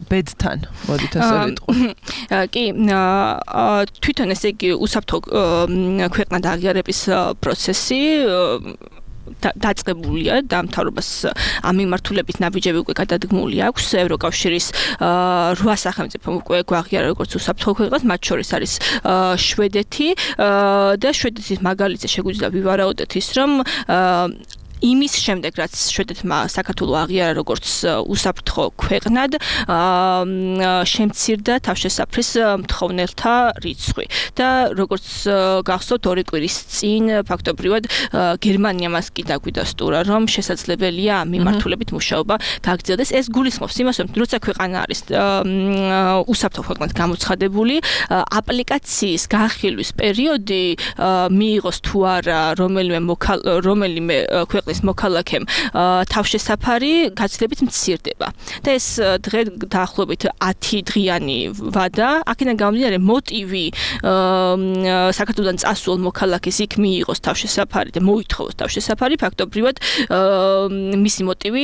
ბედთან მოდით ასე ვიტყვი კი თვითონ ესე იგი უსაფრთხო ქვეყნად აღიარების პროცესი დაწყებულია და მთავრობას ამ მიმართულებით ნაბიჯები უკვე გადადგმული აქვს ევროკავშირის რვა სახელმწიფო უკვე გვაღიარა როგორც უსაფრთხო ქვეყნად მათ შორის არის შვედეთი და შვედეთის მაგალითზე შეგვიძლია ვივარაუდოთ ის რომ იმის შემდეგ რაც შვედეთმა საქართველოს აღიარა როგორც უსაფრთხო ქვეყნად შემცირდა თავშესაფრის მთხოვნელთა რიცხვი და როგორც გახსოვთ ორი კვირის წინ ფაქტობრივად გერმანია მას კი დაგვიდასტურა რომ შესაძლებელია ამ მიმართულებით მუშაობა გაგრძელდეს ეს გულისხმობს იმას რომ როცა ქვეყანა არის უსაფრთხო ქვეყნად გამოცხადებული აპლიკაციის განხილვის პერიოდი მიიღოს თუ არა რომელიმე რომელიმე ქვეყნის მოქალაქემ თავშესაფარი გაცილებით მცირდება და ეს დღე დაახლოებით ათი დღიანი ვადა აქედან გამომდინარე მოტივი საქართველოსთან წასულ მოქალაქეს იქ მიიღოს თავშესაფარი და მოითხოვოს თავშესაფარი ფაქტობრივად მისი მოტივი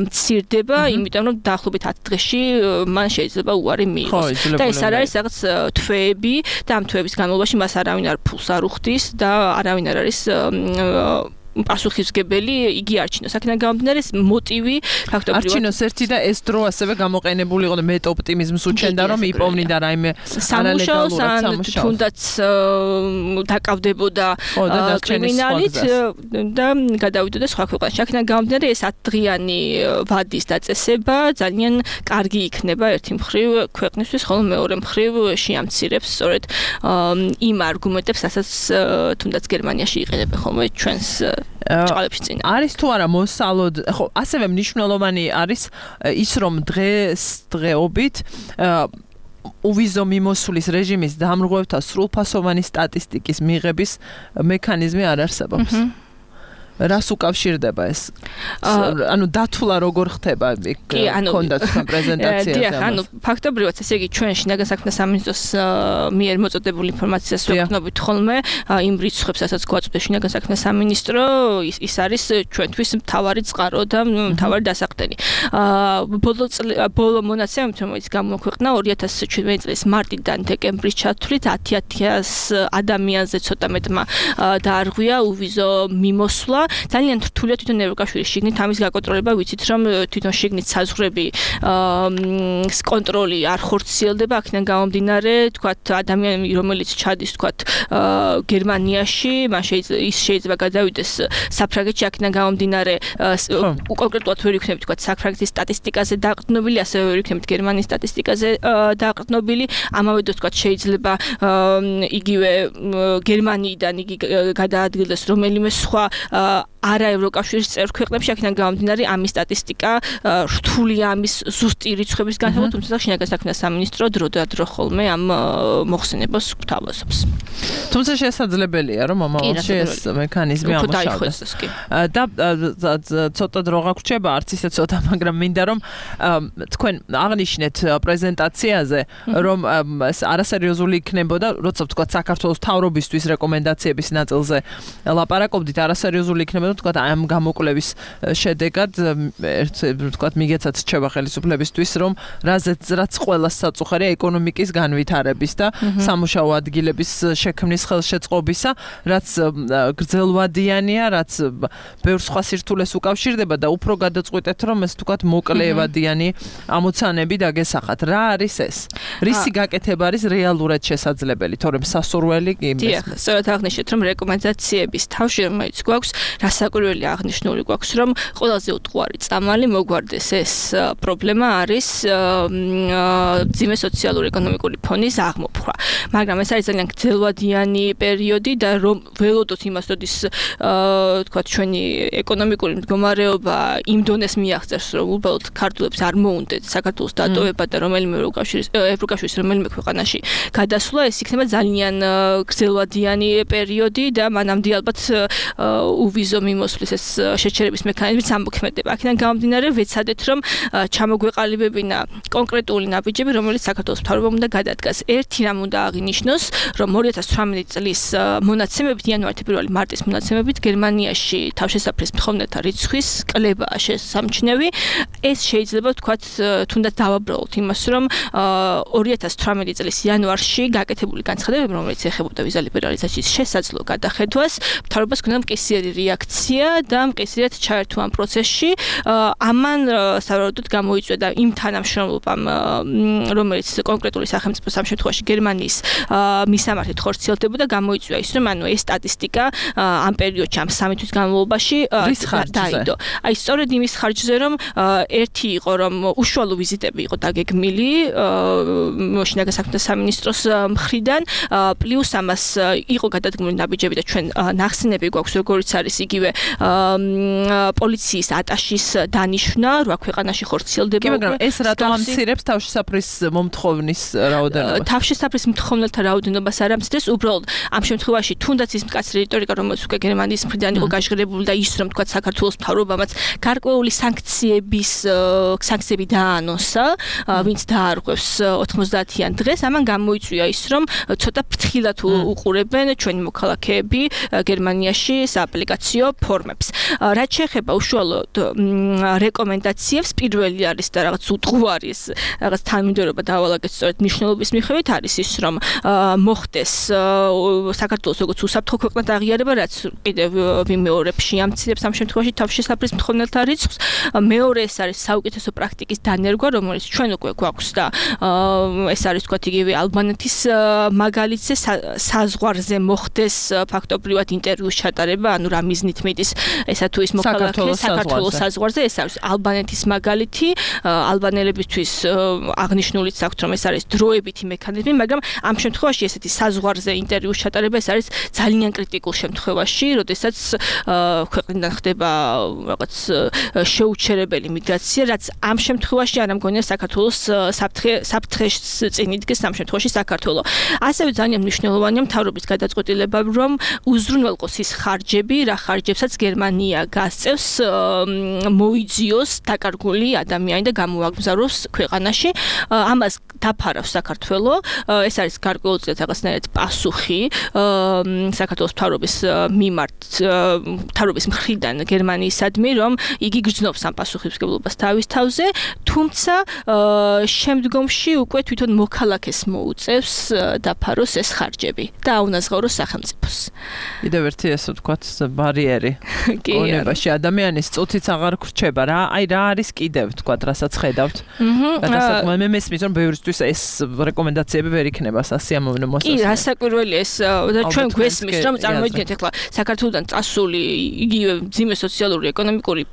მცირდება იმიტომ რომ დაახლოებით ათი დღეში მან შეიძლება უარი მიიღოს და ეს არ არის რაღაც თვეები და ამ თვეების განმავლობაში მას არავინ არ ფულს არ უხდის და არავინ არ არის პასუხისმგებელი იგი არჩინოს. აქედან გამომდინარე მოტივი ფაქტობრივად არჩინოს ერთი და ეს დრო ასევე გამოყენებული იყო და მეტ ოპტიმიზმს უჩენდა რომ იპოვნიდა რაიმე სამუშაოს ან თუნდაც დაკავდებოდა კრიმინალით და გადავიდოდა სხვა ქვეყანაში. აქედან გამომდინარე ეს ათდღიანი ვადის დაწესება ძალიან კარგი იქნება ერთი მხრივ ქვეყნისთვის, ხოლო მეორე მხრივ შეამცირებს სწორედ იმ არგუმენტებს, რასაც თუნდაც გერმანიაში იყენებენ ხოლმე ჩვენს ჭყალებში წინა. არის თუ არა მოსალოდ, ხო, ასევე მნიშვნელოვანი არის ის რომ დღეს დღეობით უვიზო მიმოსვლის რეჟიმის დამრღვევთა სრულფასოვანი სტატისტიკის მიღების მექანიზმი არ არსებობს. რას უკავშირდება ეს? ანუ დათვლა როგორ ხდება კონდა თქვენ პრეზენტაციაზე? დიახ, ანუ ფაქტობრივად ესე იგი ჩვენ შინაგან საქმეთა სამინისტროს მიერ მოწოდებული ინფორმაციას ვექნობით ხოლმე იმ რიცხვებს, რასაც გვაწვდა შინაგან საქმეთა სამინისტრო, ის არის ჩვენთვის მთავარი წყარო და მთავარი დასაყრდენი. ბოლო ბოლო მონაცემებით, რომელიც გამოქვეყნა ორი ათას შვიდმეტი წლის მარტიდან დეკემბრის ჩათვლით ათი ათას ადამიანზე ცოტა მეტმა დაარღვია უვიზო მიმოსვლა. ძალიან რთულია თვითონ ევროკავშირის შიგნით ამის გაკონტროლება, ვიცით რომ თვითონ შიგნით საზღვრები კონტროლი არ ხორციელდება, აქედან გამომდინარე, თქვათ ადამიანი რომელიც ჩადის თქვათ გერმანიაში, მან ის შეიძლება გადავიდეს საფრანგეთში, აქედან გამომდინარე კონკრეტულად ვერ იქნებით თქვათ საფრანგეთის სტატისტიკაზე დაყრდნობილი, ასევე ვერ იქნებით გერმანიის სტატისტიკაზე დაყრდნობილი, ამავე დროს თქვათ შეიძლება იგივე გერმანიიდან იგი გადაადგილდეს რომელიმე სხვა არა ევროკავშირის წევრ ქვეყნებში, აქედან გამომდინარე ამის სტატისტიკა რთულია ამის ზუსტი რიცხვების განსაზღვრა, თუმცა შინაგან საქმეთა სამინისტრო დრო და დრო ხოლმე ამ მოხსენებას გვთავაზობს. თუმცა შესაძლებელია რომ მომავალში ეს მექანიზმი ამუშავდეს. და ცოტა დრო გაგვრჩება, არც ისე ცოტა, მაგრამ მინდა რომ თქვენ აღნიშნეთ პრეზენტაციაზე, რომ არასერიოზული იქნებოდა, როცა ვთქვათ საქართველოს მთავრობისთვის რეკომენდაციების ნაწილზე ლაპარაკობდით, არასერიოზული იქნებოდა თქვათ ამ გამოკვლევის შედეგად თქვათ მიგეცათ რჩება ხელისუფლებისთვის რომ რაზეც რაც ყველას საწუხარია ეკონომიკის განვითარების და სამუშაო ადგილების შექმნის ხელშეწყობისა, რაც გრძელვადიანია, რაც ბევრ სხვა სირთულეს უკავშირდება და უფრო გადაწყვეტეთ რომ ეს თქვათ მოკლევადიანი ამოცანები დაგესახათ. რა არის ეს? რისი გაკეთება არის რეალურად შესაძლებელი, თორემ სასურველი კი იმის. დიახ, სწორად აღნიშნეთ რომ რეკომენდაციების თავში რომელიც გვაქვს რასაკვირველი აღნიშნული გვაქვს რომ ყველაზე უტყუარი წამალი მოგვარდეს ეს პრობლემა არის ძიმე სოციალურ-ეკონომიკური ფონის აღმოფხვრა. მაგრამ ეს არის ძალიან გრძელვადიანი პერიოდი და რომ ველოდოთ იმას, როდის თქვათ ჩვენი ეკონომიკური მდგომარეობა იმ დონეს მიაღწევს, რომ უბრალოდ ქართულებს არ მოუნდეთ საქართველოს დატოვება და რომელიმე ევროკავშირის ევროკავშირის რომელიმე ქვეყანაში გადასვლა, ეს იქნება ძალიან გრძელვადიანი პერიოდი და მანამდე ალბათ უვიზო მიმოსვლის ეს შეჩერების მექანიზმიც ამოქმედება. აქედან გამომდინარე ვეცადეთ რომ ჩამოგვეყალიბებინა კონკრეტული ნაბიჯები, რომელიც საქართველოს მთავრობამ უნდა გადადგას. ერთი რამ უნდა აღინიშნოს, რომ ორი ათას ცხრამეტი წლის მონაცემებით, იანვარიდან პირველი მარტის მონაცემებით გერმანიაში თავშესაფრის მთხოვნელთა რიცხვის კლებაა შესამჩნევი. ეს შეიძლება ვთქვათ თუნდაც დავაბრალოთ იმას, რომ ორი ათას ცხრამეტი წლის იანვარში გაკეთებული განცხადებები, რომელიც ეხებოდა ვიზა ლიბერალიზაციის შესაძლო გადახედვას, მთავრობას ჰქონდა მკისიერი რეაქცია და მკისრიად ჩაერთო ამ პროცესში. ამან სავარაუდოდ გამოიწვია და იმ თანამშრომლობამ, რომელიც კონკრეტული სახელმწიფოს ამ შემთხვევაში გერმანიის მისამართით ხორციელდებოდა, გამოიწვია ის, რომ ანუ ეს სტატისტიკა ამ პერიოდში, ამ სამი თვის განმავლობაში დაიდო. აი სწორედ იმის ხარჯზე, რომ ერთი იყო, რომ უშუალო ვიზიტები იყო დაგეგმილი შინაგან საქმეთა სამინისტროს მხრიდან, პლუს ამას იყო გადადგმული ნაბიჯები და ჩვენ ნახსენები გვაქვს, როგორც არის იგივე პოლიციის ატაშის დანიშვნა, რა ქვეყანაში ხორციელდება. კი, მაგრამ ეს რატომ ამცირებს თავშესაფრის მომთხოვნის რაოდენობას? თავშესაფრის მომთხოვნელთა რაოდენობას არ ამცირებს, უბრალოდ ამ შემთხვევაში თუნდაც ის მკაცრი რიტორიკა, რომელიც უკვე გერმანიის მხრიდან იყო გაჟღერებული და ის რომ თქვა საქართველოს მთავრობამაც გარკვეული სანქციების სანქციები დაანონსა, ვინც დაარღვევს ოთხმოცდაათიან დღეს, ამან გამოიწვია ის, რომ ცოტა ფრთხილად უყურებენ ჩვენი მოქალაქეები გერმანიაში სააპლიკაციო ფორმებს. რაც შეეხება უშუალოდ რეკომენდაციებს, პირველი არის და რაღაც უტყუარი ეს რაღაც თანმიმდევრობა დავალაგეთ სწორედ მნიშვნელობის მიხედვით არის ის, რომ მოხდეს საქართველოს როგორც უსაფრთხო ქვეყნად აღიარება, რაც კიდევ ვიმეორებ შეამცირებს ამ შემთხვევაში თავშესაფრის მთხოვნელთა რიცხვს. მეორე ეს არის საუკეთესო პრაქტიკის დანერგვა, რომელიც ჩვენ უკვე გვაქვს და ეს არის თქვათ იგივე ალბანეთის მაგალითზე საზღვარზე მოხდეს ფაქტობრივად ინტერვიუს ჩატარება, ანუ რა მიზნით მიდის ესა თუ ის მოქალაქე საქართველოს საზღვარზე, ეს არის ალბანეთის მაგალითი, ალბანელებისთვის აღნიშნულიც აქვს, რომ ეს არის დროებითი მექანიზმი, მაგრამ ამ შემთხვევაში ესეთი საზღვარზე ინტერვიუს ჩატარება ეს არის ძალიან კრიტიკულ შემთხვევაში, როდესაც ქვეყნიდან ხდება რაღაც შეუჩერებელი მიგრაცია, რაც ამ შემთხვევაში არ ამგონია საქართველოს საფრთხეს წინ იდგეს ამ შემთხვევაში საქართველო. ასევე ძალიან მნიშვნელოვანია მთავრობის გადაწყვეტილება, რომ უზრუნველყოს ის ხარჯები, რა ხარჯებსაც გერმანია გასწევს მოიძიოს დაკარგული ადამიანი და გამოაგზავნოს ქვეყანაში. ამას დაფარავს საქართველო. ეს არის გარკვეულწილად რაღაცნაირად პასუხი საქართველოს მთავრობის მიმართ მთავრობის მხრიდან გერმანიისადმი, რომ იგი გრძნობს ამ პასუხისმგებლობას თავის თავზე, თუმცა შემდგომში უკვე თვითონ მოქალაქეს მოუწევს დაფაროს ეს ხარჯები და აუნაზღაუროს სახელმწიფოს. კიდევ ერთი ესე ვთქვათ ბარიერი კონებაში ადამიანის წუთიც აღარ გრჩება რა, აი რა არის კიდევ ვთქვათ, რასაც ხედავთ. გადასაკმაოდ მე მესმის რომ ბევრისთვის ეს რეკომენდაციები ვერ იქნება სასიამოვნო მოსასწრაფო. კი, რასაკვირველია ეს და ჩვენ გვესმის რომ წარმოიდგინეთ ახლა საქართველოსთან წასული იგივე მძიმე სოციალური ეკონომიკური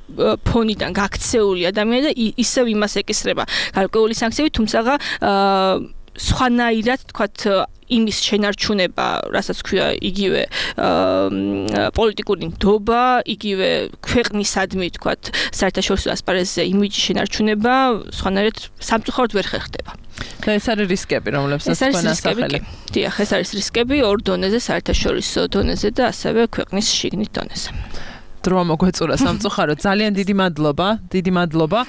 ფონიდან გაქცეული ადამიანი და ისევ იმას ეკისრება გარკვეული სანქციები, თუმცა სხვანაირად თქვათ იმის შენარჩუნება, რასაც ქვია იგივე პოლიტიკური ნდობა, იგივე ქვეყნისადმი თქვათ საერთაშორისო ასპარეზზე იმიჯის შენარჩუნება სხვანაირად სამწუხაროდ ვერ ხერხდება. და ეს არის რისკები, რომლებსაც თქვენ ასახელეთ. დიახ, ეს არის რისკები ორ დონეზე, საერთაშორისო დონეზე და ასევე ქვეყნის შიგნით დონეზე. დრო მოგვეწურა სამწუხაროდ. ძალიან დიდი მადლობა, დიდი მადლობა.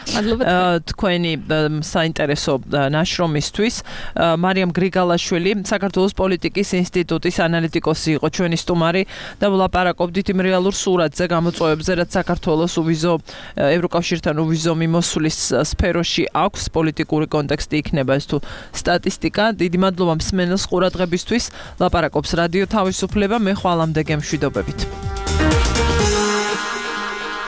თქვენი საინტერესო ნაშრომისთვის. მარიამ გრიგალაშვილი, საქართველოს პოლიტიკის ინსტიტუტის ანალიტიკოსი იყო ჩვენი სტუმარი და ვლაპარაკობდით იმ რეალურ სურათზე, გამოწვევებზე, რაც საქართველოს უვიზო ევროკავშირთან უვიზო მიმოსვლის სფეროში აქვს, პოლიტიკური კონტექსტი იქნება ეს თუ სტატისტიკა. დიდი მადლობა მსმენელს ყურადღებისთვის. ლაპარაკობს რადიო თავისუფლება, მე ხვალამდე გემშვიდობებით.